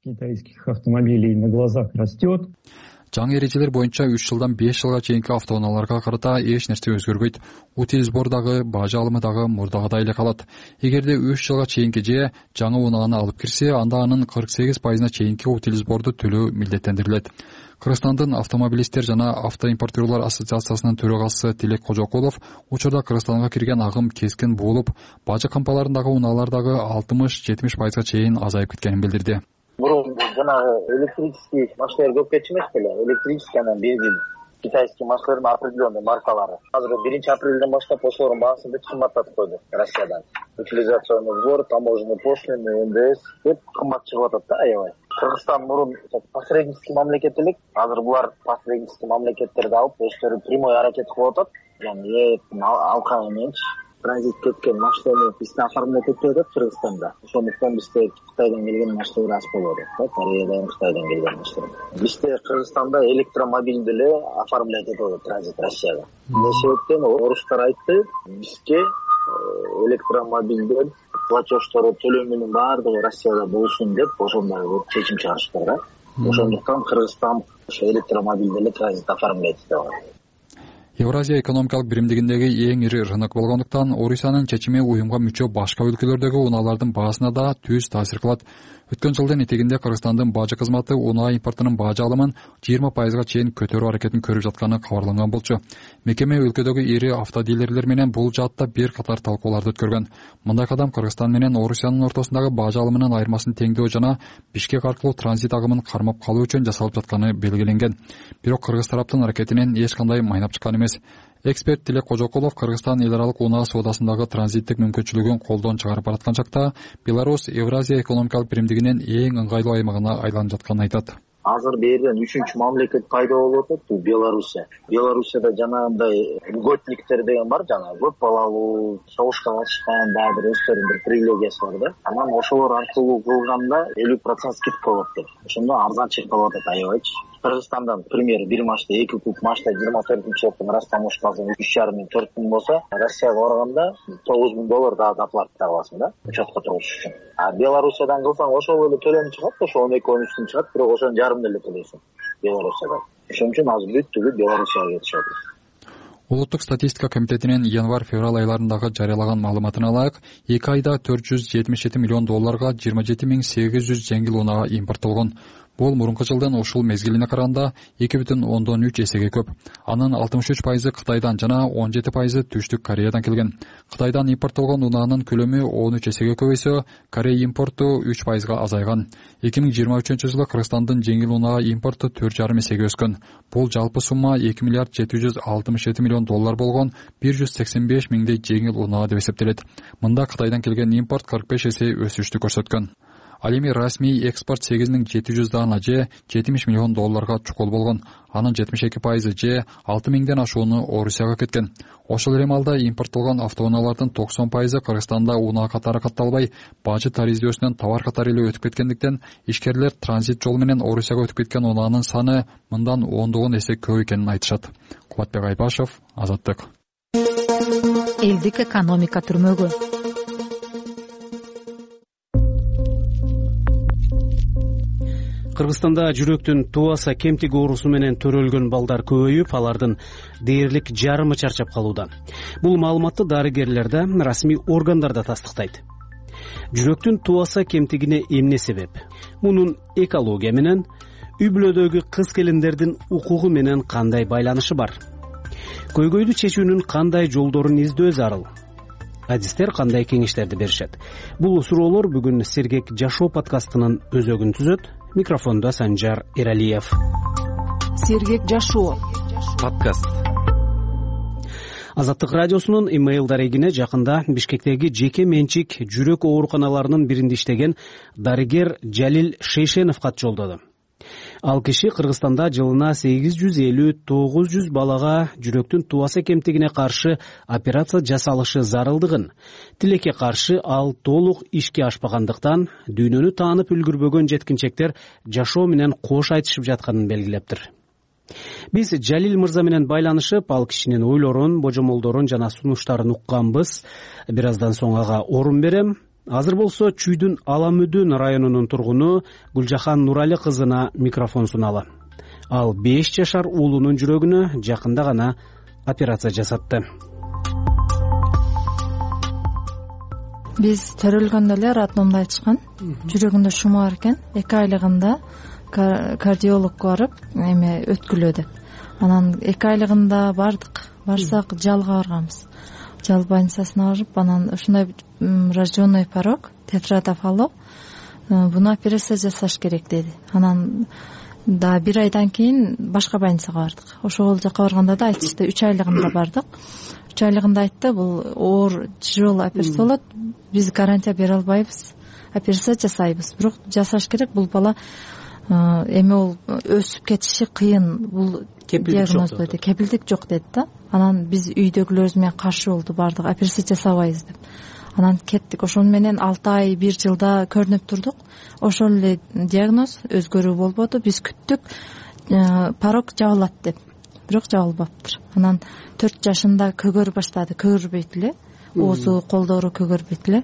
Китайских автомобилей на глазах растет. Жаңы эрежелер боюнча 3 жылдан 5 жылга чейинки автоунааларга карата эч нерсе өзгөрбөйт. Утил сбор дагы, бажы алымы дагы мурдагыдай эле калат. Эгерде 3 жылга чейинки же жаңы унааны алып кирсе, анда анын 48%на чейинки утил сборду төлөө милдеттендирилет. Кыргызстандын автомобилисттер жана автоимпортерлор ассоциациясынын төрагасы Тилек Кожокулов учурда Кыргызстанга кирген агым кескин буулуп, бажы кампаларындагы унаалар дагы 60-70%га чейин азайып кеткенин билдирди. Мурун жанагы электрический машиналар көп кетчү эмес беле? Электрический анан бензин, китайский машиналардын определенный маркалары. Азыр 1 апрелден баштап ошолордун баасын бүт кымбаттатып койду Россиядан. Утилизационный сбор, таможенный пошлины, НДС деп кымбат чыгып атат да аябай. Кыргызстан мурун посреднический мамлекет элек, азыр булар посреднический мамлекеттерди алып, өздөрү прямой аракет кылып атат. Яны алка мененчи транзит кеткен машинаны бизде оформлять этип атат Кыргызстанда. Ошондуктан бизде Кытайдан келген машиналар аз болуп атат. Кореядан, Кытайдан келген машиналар. Бизде Кыргызстанда электромобиль деле оформлять этип атат транзит Россияга. Эмне себептен орустар айтты, бизге электромобилдер платеждору төлөмүнүн баардыгы Россияда болсун деп ошондой чечим чыгарышты да. Ошондуктан Кыргызстан ошо электромобиль деле транзит оформлять этип атат. Евразия экономикалык биримдигиндеги эң ири рынок болгондуктан Орусиянын чечими уюмга мүчө башка өлкөлөрдөгү унаалардын баасына да түз таасир кылат. Өткөн жылдын этегинде Кыргызстандын бажы кызматы унаа импортунун бажы алымын 20%га чейин көтөрүү аракетин көрүп жатканы кабарланган болчу. Мекеме өлкөдөгү ири автодилерлер менен бул жаатта бир катар талкууларды өткөргөн. Мындай кадам Кыргызстан менен Орусиянын ортосундагы бажы алымынын айырмасын теңдөө жана Бишкек аркылуу транзит агымын кармап калуу үчүн жасалып жатканы белгиленген. Бирок кыргыз тараптын аракетинен эч кандай майнап чыккан эмес. Эксперт Тилек Кожокулов Кыргызстан эл аралык унаа соодасындагы транзиттик мүмкүнчүлүгүн колдон чыгарып бараткан чакта Беларусь Евразия экономикалык биримдигинин эң ыңгайлуу аймагына айланып жатканын айтат. Азыр берден 3-чү мамлекет пайда болуп атат, бул Белоруссия. Белоруссияда жанагындай льготниктер деген бар, жана көп балалуу, согушка катышкан, дагы бир өздөрүнүн бир привилегиясы бар да. Анан ошолор аркылуу кылганда 50% скидка болот деп. Ошондо арзан чыгып атат аябайчы. Кыргызстандан, пример, бир машта 2 куб машта 24-жылдын растаможкасы 3,5-4 миң болсо, Россияга барганда $9,000 дагы доплата аласың да, учетко туруш үчүн. А Белоруссиядан кылсаң ошол эле төлөм чыгат, ошо 12-13 чыгат, бирок ошонун жарымын эле төлөйсүң Белоруссияда. Ошон үчүн азыр бүт түгүл Белоруссияга кетишет. Улуттук статистика комитетинин январь-февраль айларындагы жарыялаган маалыматына ылайык, 2 айда $477 миллион 27.800 жеңил унаа импорттолгон. Бул мурунку жылдын ушул мезгилине караганда 2,3 эсеге көп. Анын 63% Кытайдан жана 17% Түштүк Кореядан келген. Кытайдан импорттолгон унаанын көлөмү 13 эсеге көбөйсө, Корея импорту 3%га азайган. 2023 жылы Кыргызстандын жеңил унаа импорту 4,5 эсеге өскөн. Бул жалпы сумма $2,767 миллион болгон 185 миңдей жеңил унаа деп эсептелет. Мында Кытайдан келген импорт 45 эсе өсүштү көрсөткөн. Ал эми расмий экспорт 8700 дана же $70 миллион чукул болгон. Анын 72% же 6000ден ашууну Орусияга кеткен. Ошол эле маалда импорттолгон автоунаалардын 90% Кыргызстанда унаа катары катталбай, бажы тариздөсүнөн товар катары эле өтүп кеткендиктен ишкерлер транзит жол менен Орусияга өтүп кеткен унаанын саны мындан 10 эсе көп экенин айтышат. Кубатбек Айбашев, Азаттык. Элдик экономика түрмөгү. Кыргызстанда жүрөктүн туаса кемтиги оорусу менен төрөлгөн балдар көбөйүп, алардын дээрлик жарымы чарчап калууда. Бул маалыматты дарыгерлер да, расмий органдар да тастыктайт. Жүрөктүн туаса кемтигине эмне себеп? Мунун экология менен, үй бүлөдөгү кыз келиндердин укугу менен кандай байланышы бар? Көйгөйдү чечүүнүн кандай жолдорун издөө зарыл? Адистер кандай кеңештерди беришет? Бул суроолор бүгүн Сергек жашоо подкастынын өзөгүн түзөт. Микрофондо Санжар Эралиев. Сергек жашоо подкаст. Азаттык радиосунун имейл дарегине жакында Бишкектеги жеке менчик жүрөк ооруканаларынын биринде иштеген дарыгер Жалил Шейшенов кат жолдоду. Ал киши Кыргызстанда жылына 850-900 балага жүрөктүн туаса кемтигине каршы операция жасалышы зарылдыгын, тилекке каршы ал толук ишке ашпагандыктан дүйнөнү таанып үлгүрбөгөн жеткинчектер жашоо менен кош айтышып жатканын белгилептир. Биз Жалил мырза менен байланышып, ал кишинин ойлорун, божомолдорун жана сунуштарын укканбыз. Бир аздан соң ага орун берем. Азыр болсо Чүйдүн Аламүдүн районунун тургуну Гүлжахан Нурали кызына микрофон суналы. Ал 5 жашар уулунун жүрөгүнө жакында гана операция жасатты. Биз төрөлгөндө эле роддомдо айтышкан. Жүрөгүндө шума бар экен. 2 айлыгында кардиологко барып, эме өткүлөө деп. Анан 2 айлыгында барсак жалга барганбыз. Жал больницасына барып, анан ушундай рожденный порог, тетрадофало, буну операция жасаш керек деди. Анан да 1 айдан кийин башка больницага бардык. Ошол жака барганда да айтышты, 3 айлыгында бардык. 3 айлыгында айтты, бул оор тяжелый операция болот, биз гарантия бере албайбыз, операция жасайбыз. Бирок жасаш керек, бул бала эми ол өсүп кетиши кыйын, бул диагноз деди, кепилдик жок деди да. Анан биз үйдөгүлөрүбүз менен каршы болду, бардык, операция жасабайбыз деп. Анан кеттик, ошону менен 6 ай 1 жылда көрүнүп турдук. Ошол эле диагноз, өзгөрүү болбоду. Биз күттүк, порог жабылат деп. Бирок жабылбаптыр. Анан 4 жашында көгөрүп баштады, көгөрбөйт эле. Оозу, колдору көгөрбөйт эле.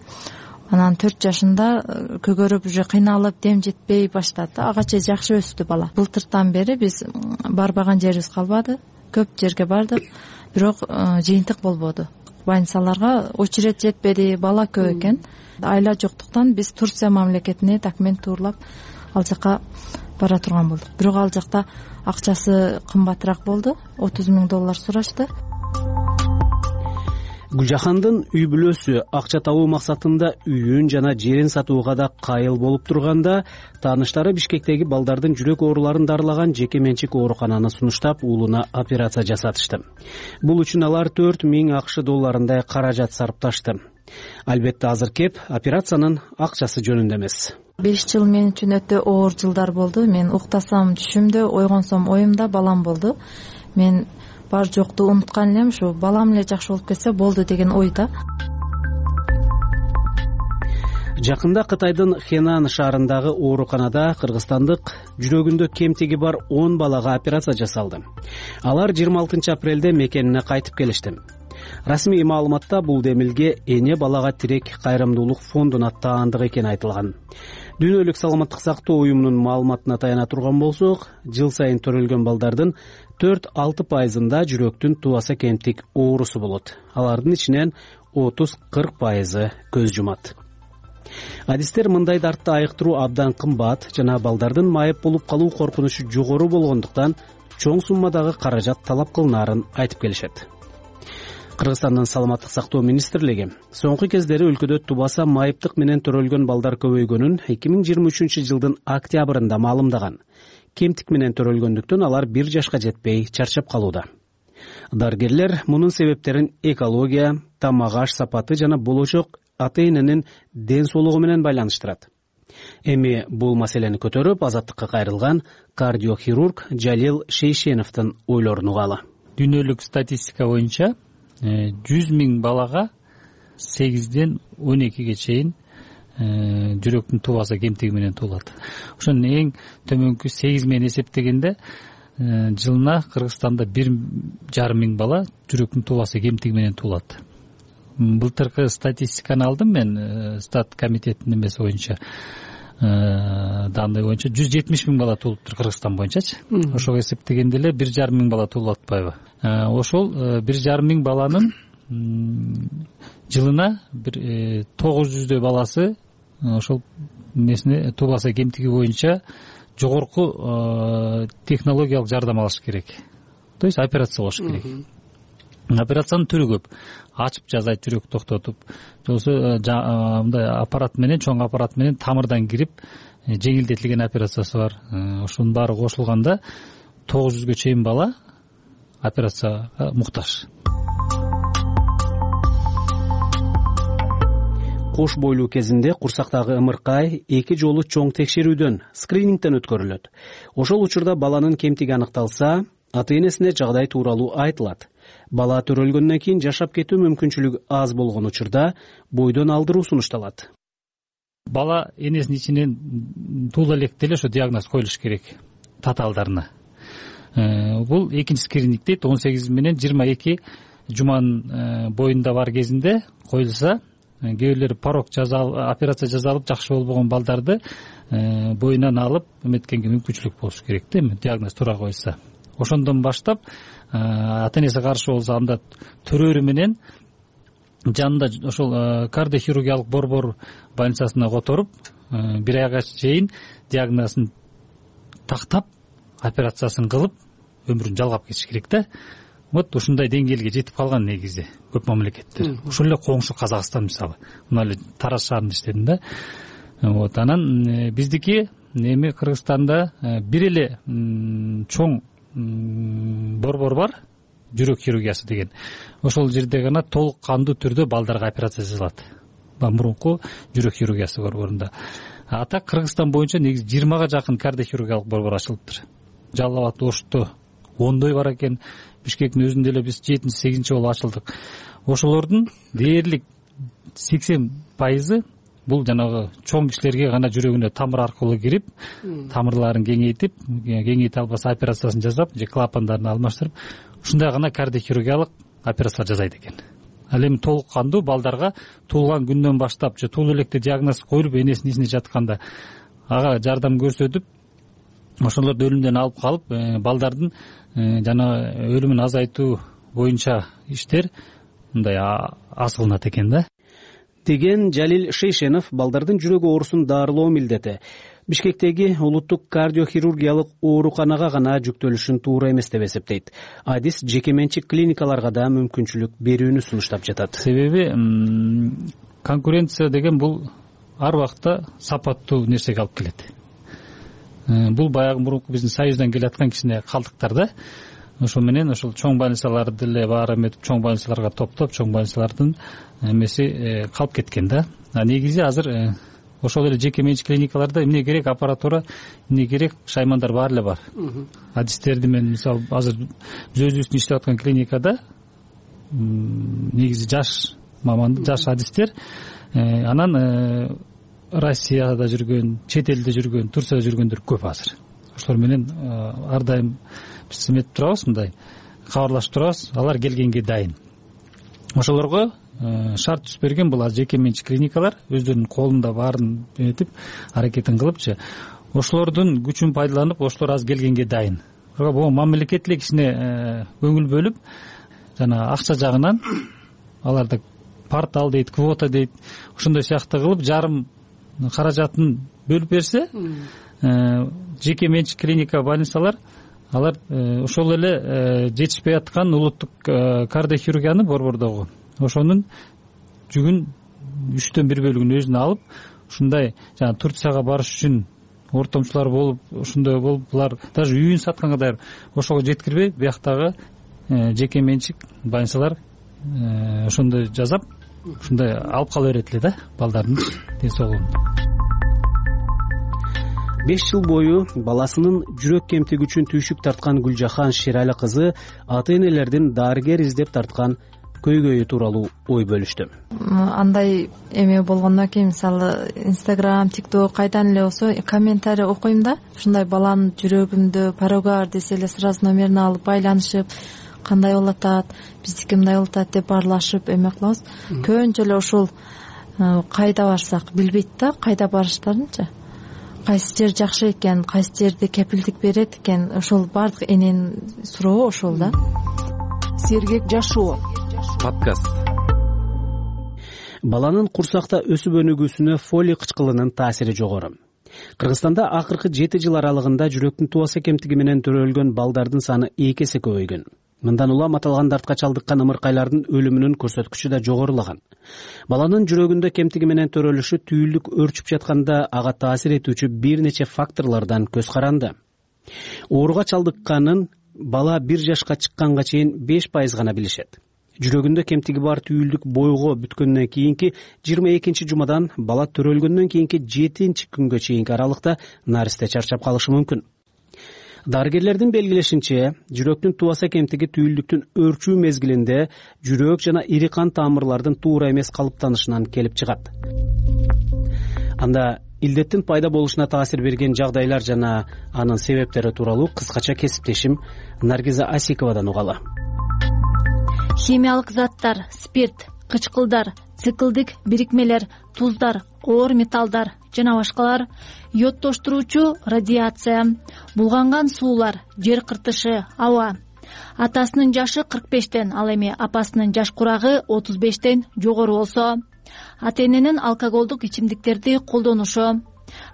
Анан 4 жашында көгөрүп, уже кыйналып, дем жетпей баштады. Ага чейин жакшы өстү бала. Былтыртан бери биз барбаган жерибиз калбады. Көп жерге бардык, бирок жыйынтык болбоду. Больницаларга очередь жетпеди, бала көп экен. Айла жоктуктан биз Турция мамлекетине документ тууралап ал жака бара турган болдук. Бирок ал жакта акчасы кымбатыраак болду, $30,000 сурашты. Гүлжахандын үй бүлөсү акча табуу максатында үйүн жана жерин сатууга да кайыл болуп турганда, тааныштары Бишкектеги балдардын жүрөк ооруларын дарылаган жеке менчик оорукананы сунуштап, уулуна операция жасатышты. Бул үчүн алар $4,000 каражат сарпташты. Албетте азыр кеп операциянын акчасы жөнүндө эмес. 5 жыл мен үчүн өтө оор жылдар болду. Мен уктасам түшүмдө, ойгонсом оюмда балам болду. Мен бар жокту унуткан элем, ушу балам эле жакшы болуп кетсе болду деген ойда. Жакында Кытайдын Хенан шаарындагы ооруканада кыргызстандык жүрөгүндө кемтиги бар 10 балага операция жасалды. Алар 26 апрелде мекенине кайтып келишти. Расмий маалыматта бул демилге эне балага тирек кайрымдуулук фондуна аттаандык экени айтылган. Дүйнөлүк саламаттык сактоо уюмунун маалыматына таяна турган болсок, жыл сайын төрөлгөн балдардын 4-6%-ында жүрөктүн туаса кемтик оорусу болот. Алардын ичинен 30-40% көз жумат. Адистер мындай дартты айыктыруу абдан кымбат жана балдардын майып болуп калуу коркунучу жогору болгондуктан чоң суммадагы каражат талап кылынаарын айтып келишет. Кыргызстандын саламаттык сактоо министрлиги соңку кездери өлкөдө тубаса майыптык менен төрөлгөн балдар көбөйгөнүн 2023 жылдын октябрында маалымдаган. Кемтик менен төрөлгөндүктөн алар 1 жашка жетпей чарчап калууда. Дарыгерлер мунун себептерин экология, тамак аш сапаты жана болочок ата-эненин ден соолугу менен байланыштырат. Эми бул маселени көтөрүп азаттыкка кайрылган кардиохирург Жалил Шейшеновдун ойлорун угалы. Дүйнөлүк статистика боюнча 100 миң балага 8ден 12ге чейин жүрөктүн тубасы кемтиги менен туулат. Ошонун эң төмөнкү 8 менен эсептегенде жылына Кыргызстанда 1,5 миң бала жүрөктүн тубасы кемтиги менен туулат. Былтыркы статистиканы алдым мен, стат комитетинин эмеси боюнча, данный боюнча 170 миң бала туулуптур Кыргызстан боюнчачы. Ошого эсептегенде эле 1,5 миң бала туулуп атпайбы? Ошол 1,5 миң баланын жылына бир 900дөй баласы ошол эмесине тубасы кемтиги боюнча жогорку технологиялык жардам алыш керек. То есть операция кылыш керек. Операциянын түрү көп. Ачып жазайт, жүрөк токтотуп, жоксо мындай аппарат менен, чоң аппарат менен тамырдан кирип жеңилдетилген операциясы бар. Ошонун баары кошулганда 900ге чейин бала операцияга муктаж. Кош бойлуу кезинде курсактагы ымыркай 2 жолу чоң текшерүүдөн, скринингден өткөрүлөт. Ошол учурда баланын кемтиги аныкталса, ата-энесине жагдай тууралуу айтылат. Бала төрөлгөндөн кийин жашап кетүү мүмкүнчүлүгү аз болгон учурда бойдон алдыруу сунушталат. Бала энесинин ичинен туула электе эле ошо диагноз коюлуш керек татаалдарына. Бул экинчи скрининг дейт, 18 менен 22 жуманын боюнда бар кезинде коюлса, кээ бирлери порог операция жасалып жакшы болбогон балдарды боюнан алып эметкенге мүмкүнчүлүк болуш керек да, диагноз туура коюлса. Ошондон баштап ата-энеси каршы болсо анда төрөрү менен жанында ошол кардиохирургиялык борбор больницасына которуп 1 айга чейин диагнозун тактап операциясын кылып өмүрүн жалгап кетиш керек да. Вот ушундай деңгээлге жетип калган негизи көп мамлекеттер. Ошол эле коңшу Казакстан мисалы. Мына эле Тараз шаарында иштедим да. Вот анан биздики эми Кыргызстанда бир эле чоң борбор бар, жүрөк хирургиясы деген. Ошол жерде гана толук кандуу түрдө балдарга операция жасалат. Мурунку жүрөк хирургиясы борборунда. Ата Кыргызстан боюнча негизи 20га жакын кардиохирургиялык борбор ачылыптыр. Жалал абад, Ошто 10дөй бар экен. Бишкектин өзүндө эле биз 7-8 болуп ачылдык. Ошолордун дээрлик 80% бул жанагы чоң кишилерге гана жүрөгүнө тамыр аркылуу кирип, тамырларын кеңейте албаса операциясын жасап, же клапандарын алмаштырып, ушундай гана кардиохирургиялык операциялар жасайт экен. Ал эми толук кандуу балдарга туулган күндөн баштап же туулуу электе диагноз коюлуп энесинин ичинде жатканда ага жардам көрсөтүп, ошолорду өлүмдөн алып калып, балдардын жана өлүмүн азайтуу боюнча иштер мындай аз кылынат экен да. Деген Жалил Шейшенов балдардын жүрөк оорусун дарылоо милдети Бишкектеги улуттук кардиохирургиялык ооруканага гана жүктөлүшүн туура эмес деп эсептейт. Адис жеке менчик клиникаларга да мүмкүнчүлүк берүүнү сунуштап жатат. Себеби конкуренция деген бул ар убакта сапаттуу нерсеге алып келет. Бул баягы мурунку биздин союздан келаткан кичине калдыктар да. Ошо менен ошол чоң больницаларды деле баары эметип, чоң больницаларга топтоп, чоң больницалардын эмеси калып кеткен да. Негизи азыр ошол эле жеке менчик клиникаларда эмне керек, аппаратура, эмне керек, шаймандар баары эле бар. Адистерди мен мисалы азыр өзүбүздүн иштеп аткан клиникада негизи жаш маман, жаш адистер, анан Россияда жүргөн, чет элде жүргөн, Турцияда жүргөндөр көп азыр. Ошолор менен ар дайым биз эметип турабыз, мындай кабарлашып турабыз, алар келгенге дайын. Ошолорго шарт түзүп берген бул жеке менчик клиникалар өздөрүнүн колунда баарын этип аракетин кылыпчы. Ошолордун күчүн пайдаланып, ошолор азыр келгенге дайын. Бул мамлекет эле кичине көңүл бөлүп, жана акча жагынан аларды портал дейт, квота дейт, ошондой сыяктуу кылып жарым каражатын бөлүп берсе, жеке менчик клиника, больницалар алар ошол эле жетишпей аткан улуттук кардиохирургияны борбордогу ошонун жүгүн 3/4 бөлүгүн өзүнө алып, ушундай жана Турцияга барыш үчүн ортомчулар болуп, ошондой болуп, булар даже үйүн сатканга даяр, ошого жеткирбей, бияктагы жеке менчик больницалар ошондой жасап, ушундай алып кала берет эле да балдардын ден соолугун. 5 жыл бою баласынын жүрөк кемтиги үчүн түйшүк тарткан Гүлжахан Шерали кызы ата энелердин дарыгер издеп тарткан көйгөйү тууралуу ой бөлүштү. Андай эме болгондон кийин мисалы Instagram, TikTok кайдан эле болсо комментарий окуйм да, ушундай баланын жүрөгүндө парогар десе эле сразу номерин алып байланышып, кандай болуп атат, биздики мындай болуп атат деп баарлашып эме кылабыз. Көбүнчө эле ошол кайда барсак билбейт да, кайда барыштарынчы. Кайсы жер жакшы экен, кайсы жерде кепилдик берет экен, ошол баардык эненин сурообу ошол да. Сергек жашоо подкаст. Баланын курсакта өсүп өнүгүүсүнө фолий кычкылынын таасири жогору. Кыргызстанда акыркы 7 жыл аралыгында жүрөктүн тубаса кемтиги менен төрөлгөн балдардын саны 2 эсе көбөйгөн. Мындан улам аталган дартка чалдыккан ымыркайлардын өлүмүнүн көрсөткүчү да жогорулаган. Баланын жүрөгүндө кемтиги менен төрөлүшү түйүлдүк өрчүп жатканда ага таасир этүүчү бир нече факторлордон көз каранды. Ооруга чалдыкканын бала 1 жашка чыкканга чейин 5% гана билишет. Жүрөгүндө кемтиги бар түйүлдүк бойго бүткөндөн кийинки 22-жумадан бала төрөлгөндөн кийинки 7-күнгө чейинки аралыкта наристе чарчап калышы мүмкүн. Дарыгерлердин белгилешинче, жүрөктүн тубаса кемтиги түйүлдүктүн өрчүү мезгилинде жүрөк жана ири кан тамырлардын туура эмес калыптанышынан келип чыгат. Анда илдеттин пайда болушуна таасир берген жагдайлар жана анын себептери тууралуу кыскача кесиптешим Наргиза Асиковадан угалы. Химиялык заттар, спирт, кычкылдар, циклдик бирикмелер, туздар, оор металлдар жана башкалар, йодтоштуруучу радиация, булганган суулар, жер кыртышы, аба. Атасынын жашы 45тен, ал эми апасынын жаш курагы 35тен жогору болсо, ата эненин алкоголдук ичимдиктерди колдонушу,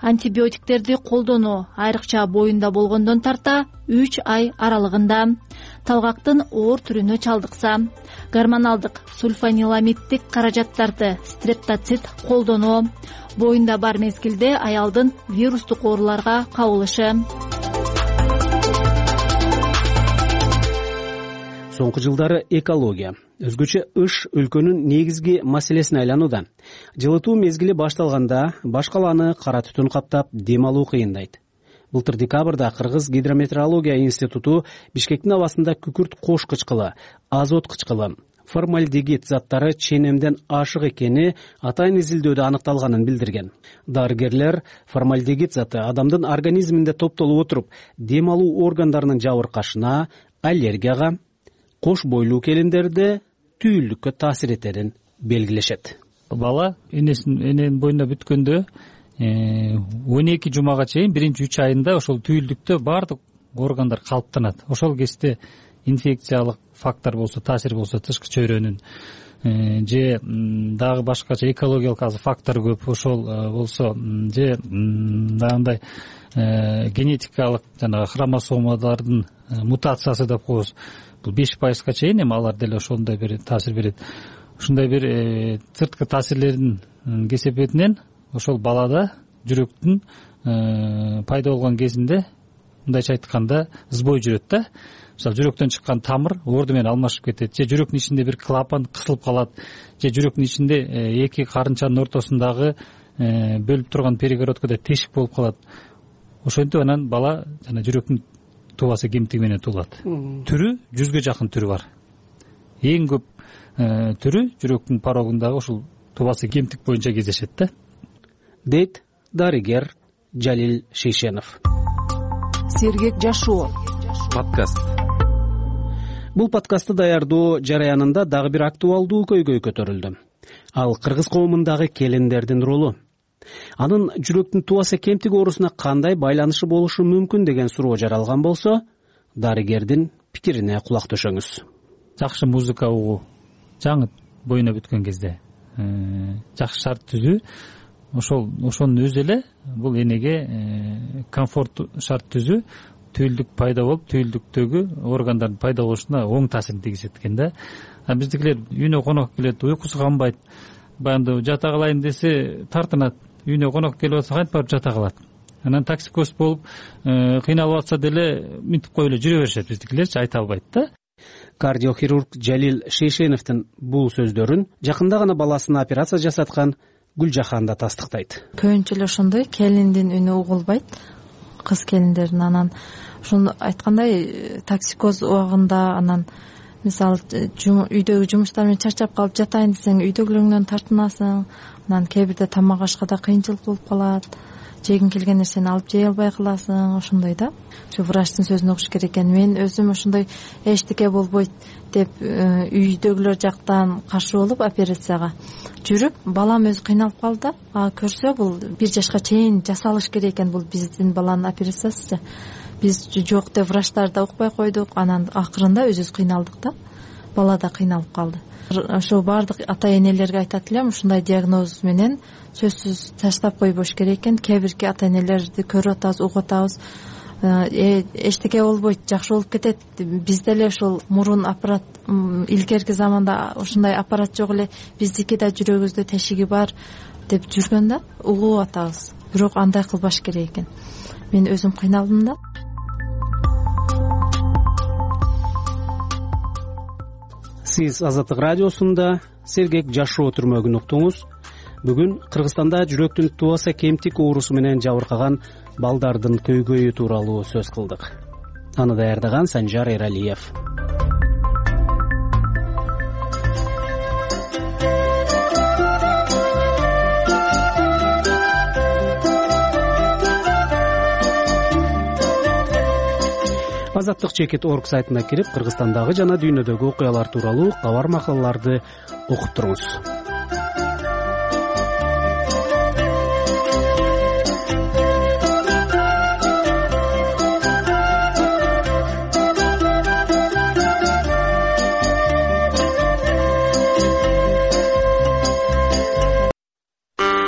антибиотиктерди колдонуу айрыкча боюнда болгондон тарта 3 ай аралыгында, талгактын оор түрүнө чалдыкса, гормоналдык сульфаниламиддик каражаттарды стрептоцит колдонуу, боюнда бар мезгилде аялдын вирустук ооруларга кабылышы. Соңку жылдары экология, өзгөчө ыш өлкөнүн негизги маселесине айланууда. Жылытуу мезгили башталганда башкаланы кара түтүн каптап, дем алуу кыйындайт. Былтыр декабрда Кыргыз гидрометеорология институту Бишкектин абасында күкүрт кош кычкылы, азот кычкылы, формальдегид заттары ченемден ашык экени атайын изилдөөдө аныкталганын билдирген. Дарыгерлер формальдегид заты адамдын организминде топтолуп отуруп, дем алуу органдарынын жабыркашына, аллергияга, кош бойлуу келиндерде түйүлдүккө таасир этерин белгилешет. Бала эненин боюнда бүткөндө 12 жумага чейин 1-3 айында ошол түйүлдүктө баардык органдар калыптанат. Ошол кезде инфекциялык фактор болсо, таасир болсо, тышкы чөйрөнүн же дагы башкача экологиялык фактор көп, ошол болсо же дагы генетикалык жанагы хромосомалардын мутациясы деп коебуз. Бул 5%га чейин эми алар деле ошондой бир таасир берет. Ушундай бир сырткы таасирлердин кесепетинен ошол балада жүрөктүн пайда болгон кезинде, мындайча айтканда, сбой жүрөт да. Мисалы, жүрөктөн чыккан тамыр орду менен алмашып кетет, же жүрөктүн ичинде бир клапан кысылып калат, же жүрөктүн ичинде эки карынчанын ортосундагы бөлүп турган перегородкада тешик болуп калат. Ошентип анан бала жана жүрөктүн тубасы кемтиги менен туулат. Түрү 100ге жакын түрү бар. Эң көп түрү жүрөктүн порогундагы ушул тубасы кемтик боюнча кездешет да. Дейт дарыгер Жалил Шейшенов. Сергек жашоо подкаст. Бул подкастты даярдоо жараянында дагы бир актуалдуу көйгөй көтөрүлдү. Ал кыргыз коомундагы келиндердин ролу. Анын жүрөктүн тубаса кемтиги оорусуна кандай байланышы болушу мүмкүн деген суроо жаралган болсо, дарыгердин пикирине кулак төшөңүз. Жакшы музыка угуу, жаңы боюна бүткөн кезде жакшы шарт түзүү, ошонун өзү эле бул энеге комфорт шарт түзүү, түйүлдүк пайда болуп, түйүлдүктөгү органдардын пайда болушуна оң таасирин тийгизет экен да. Биздикилер үйүнө конок келет, уйкусу канбайт, баягы жата калайын десе тартынат. Үйүнө конок келип атса кантип барып жата калат. Анан токсикоз болуп кыйналып атса деле минтип коюп эле жүрө беришет биздикилерчи, айта албайт да. Кардиохирург Жалил Шейшеновдун бул сөздөрүн жакында гана баласына операция жасаткан Гүлжахан да тастыктайт. Көбүнчө эле ошондой, келиндин үнү угулбайт, кыз келиндердин. Анан ошону айткандай токсикоз убагында, анан мисалы үйдөгү жумуштар менен чарчап калып жатайын десең үйдөгүлөрүңдөн тартынасың. Анан кээ бирде тамак ашкада кыйынчылык болуп калат, жегиң келген нерсени алып жей албай каласың. Ошондой да, ушу врачтын сөзүнө окуш керек экен. Мен өзүм ошондой эчтеке болбойт деп үйдөгүлөр жактан каршы болуп операцияга жүрүп, балам өзү кыйналып калды. Көрсө бул 1 жашка чейин жасалыш керек экен, бул биздин баланын операциясы. Биз жок деп врачтар да укпай койдук. Анан акырында өзүбүз кыйналдык да, бала да кыйналып калды. Ошо баардык ата энелерге айтат элем, ушундай диагноз менен сөзсүз таштап койбош керек экен. Кээ бирки ата энелерди көрүп атабыз, угуп атабыз. Эчтеке болбойт, жакшы болуп кетет. Бизде эле ошол мурун аппарат, илгерки заманда ушундай аппарат жок эле, биздики да жүрөгүбүздө тешиги бар деп жүргөн да, угуп атабыз. Бирок андай кылбаш керек экен. Мен өзүм кыйналдым да. Сиз Азаттык радиосунда сергек жашоо түрмөгүн уктуңуз. Бүгүн Кыргызстанда жүрөктүн тубаса кемтик оорусу менен жабыркаган балдардын көйгөйү тууралуу сөз кылдык. Аны даярдаган Санжар Эралиев. Азаттык.org сайтына кирип, Кыргызстандагы жана дүйнөдөгү окуялар тууралуу кабар макалаларды окуп туруңуз.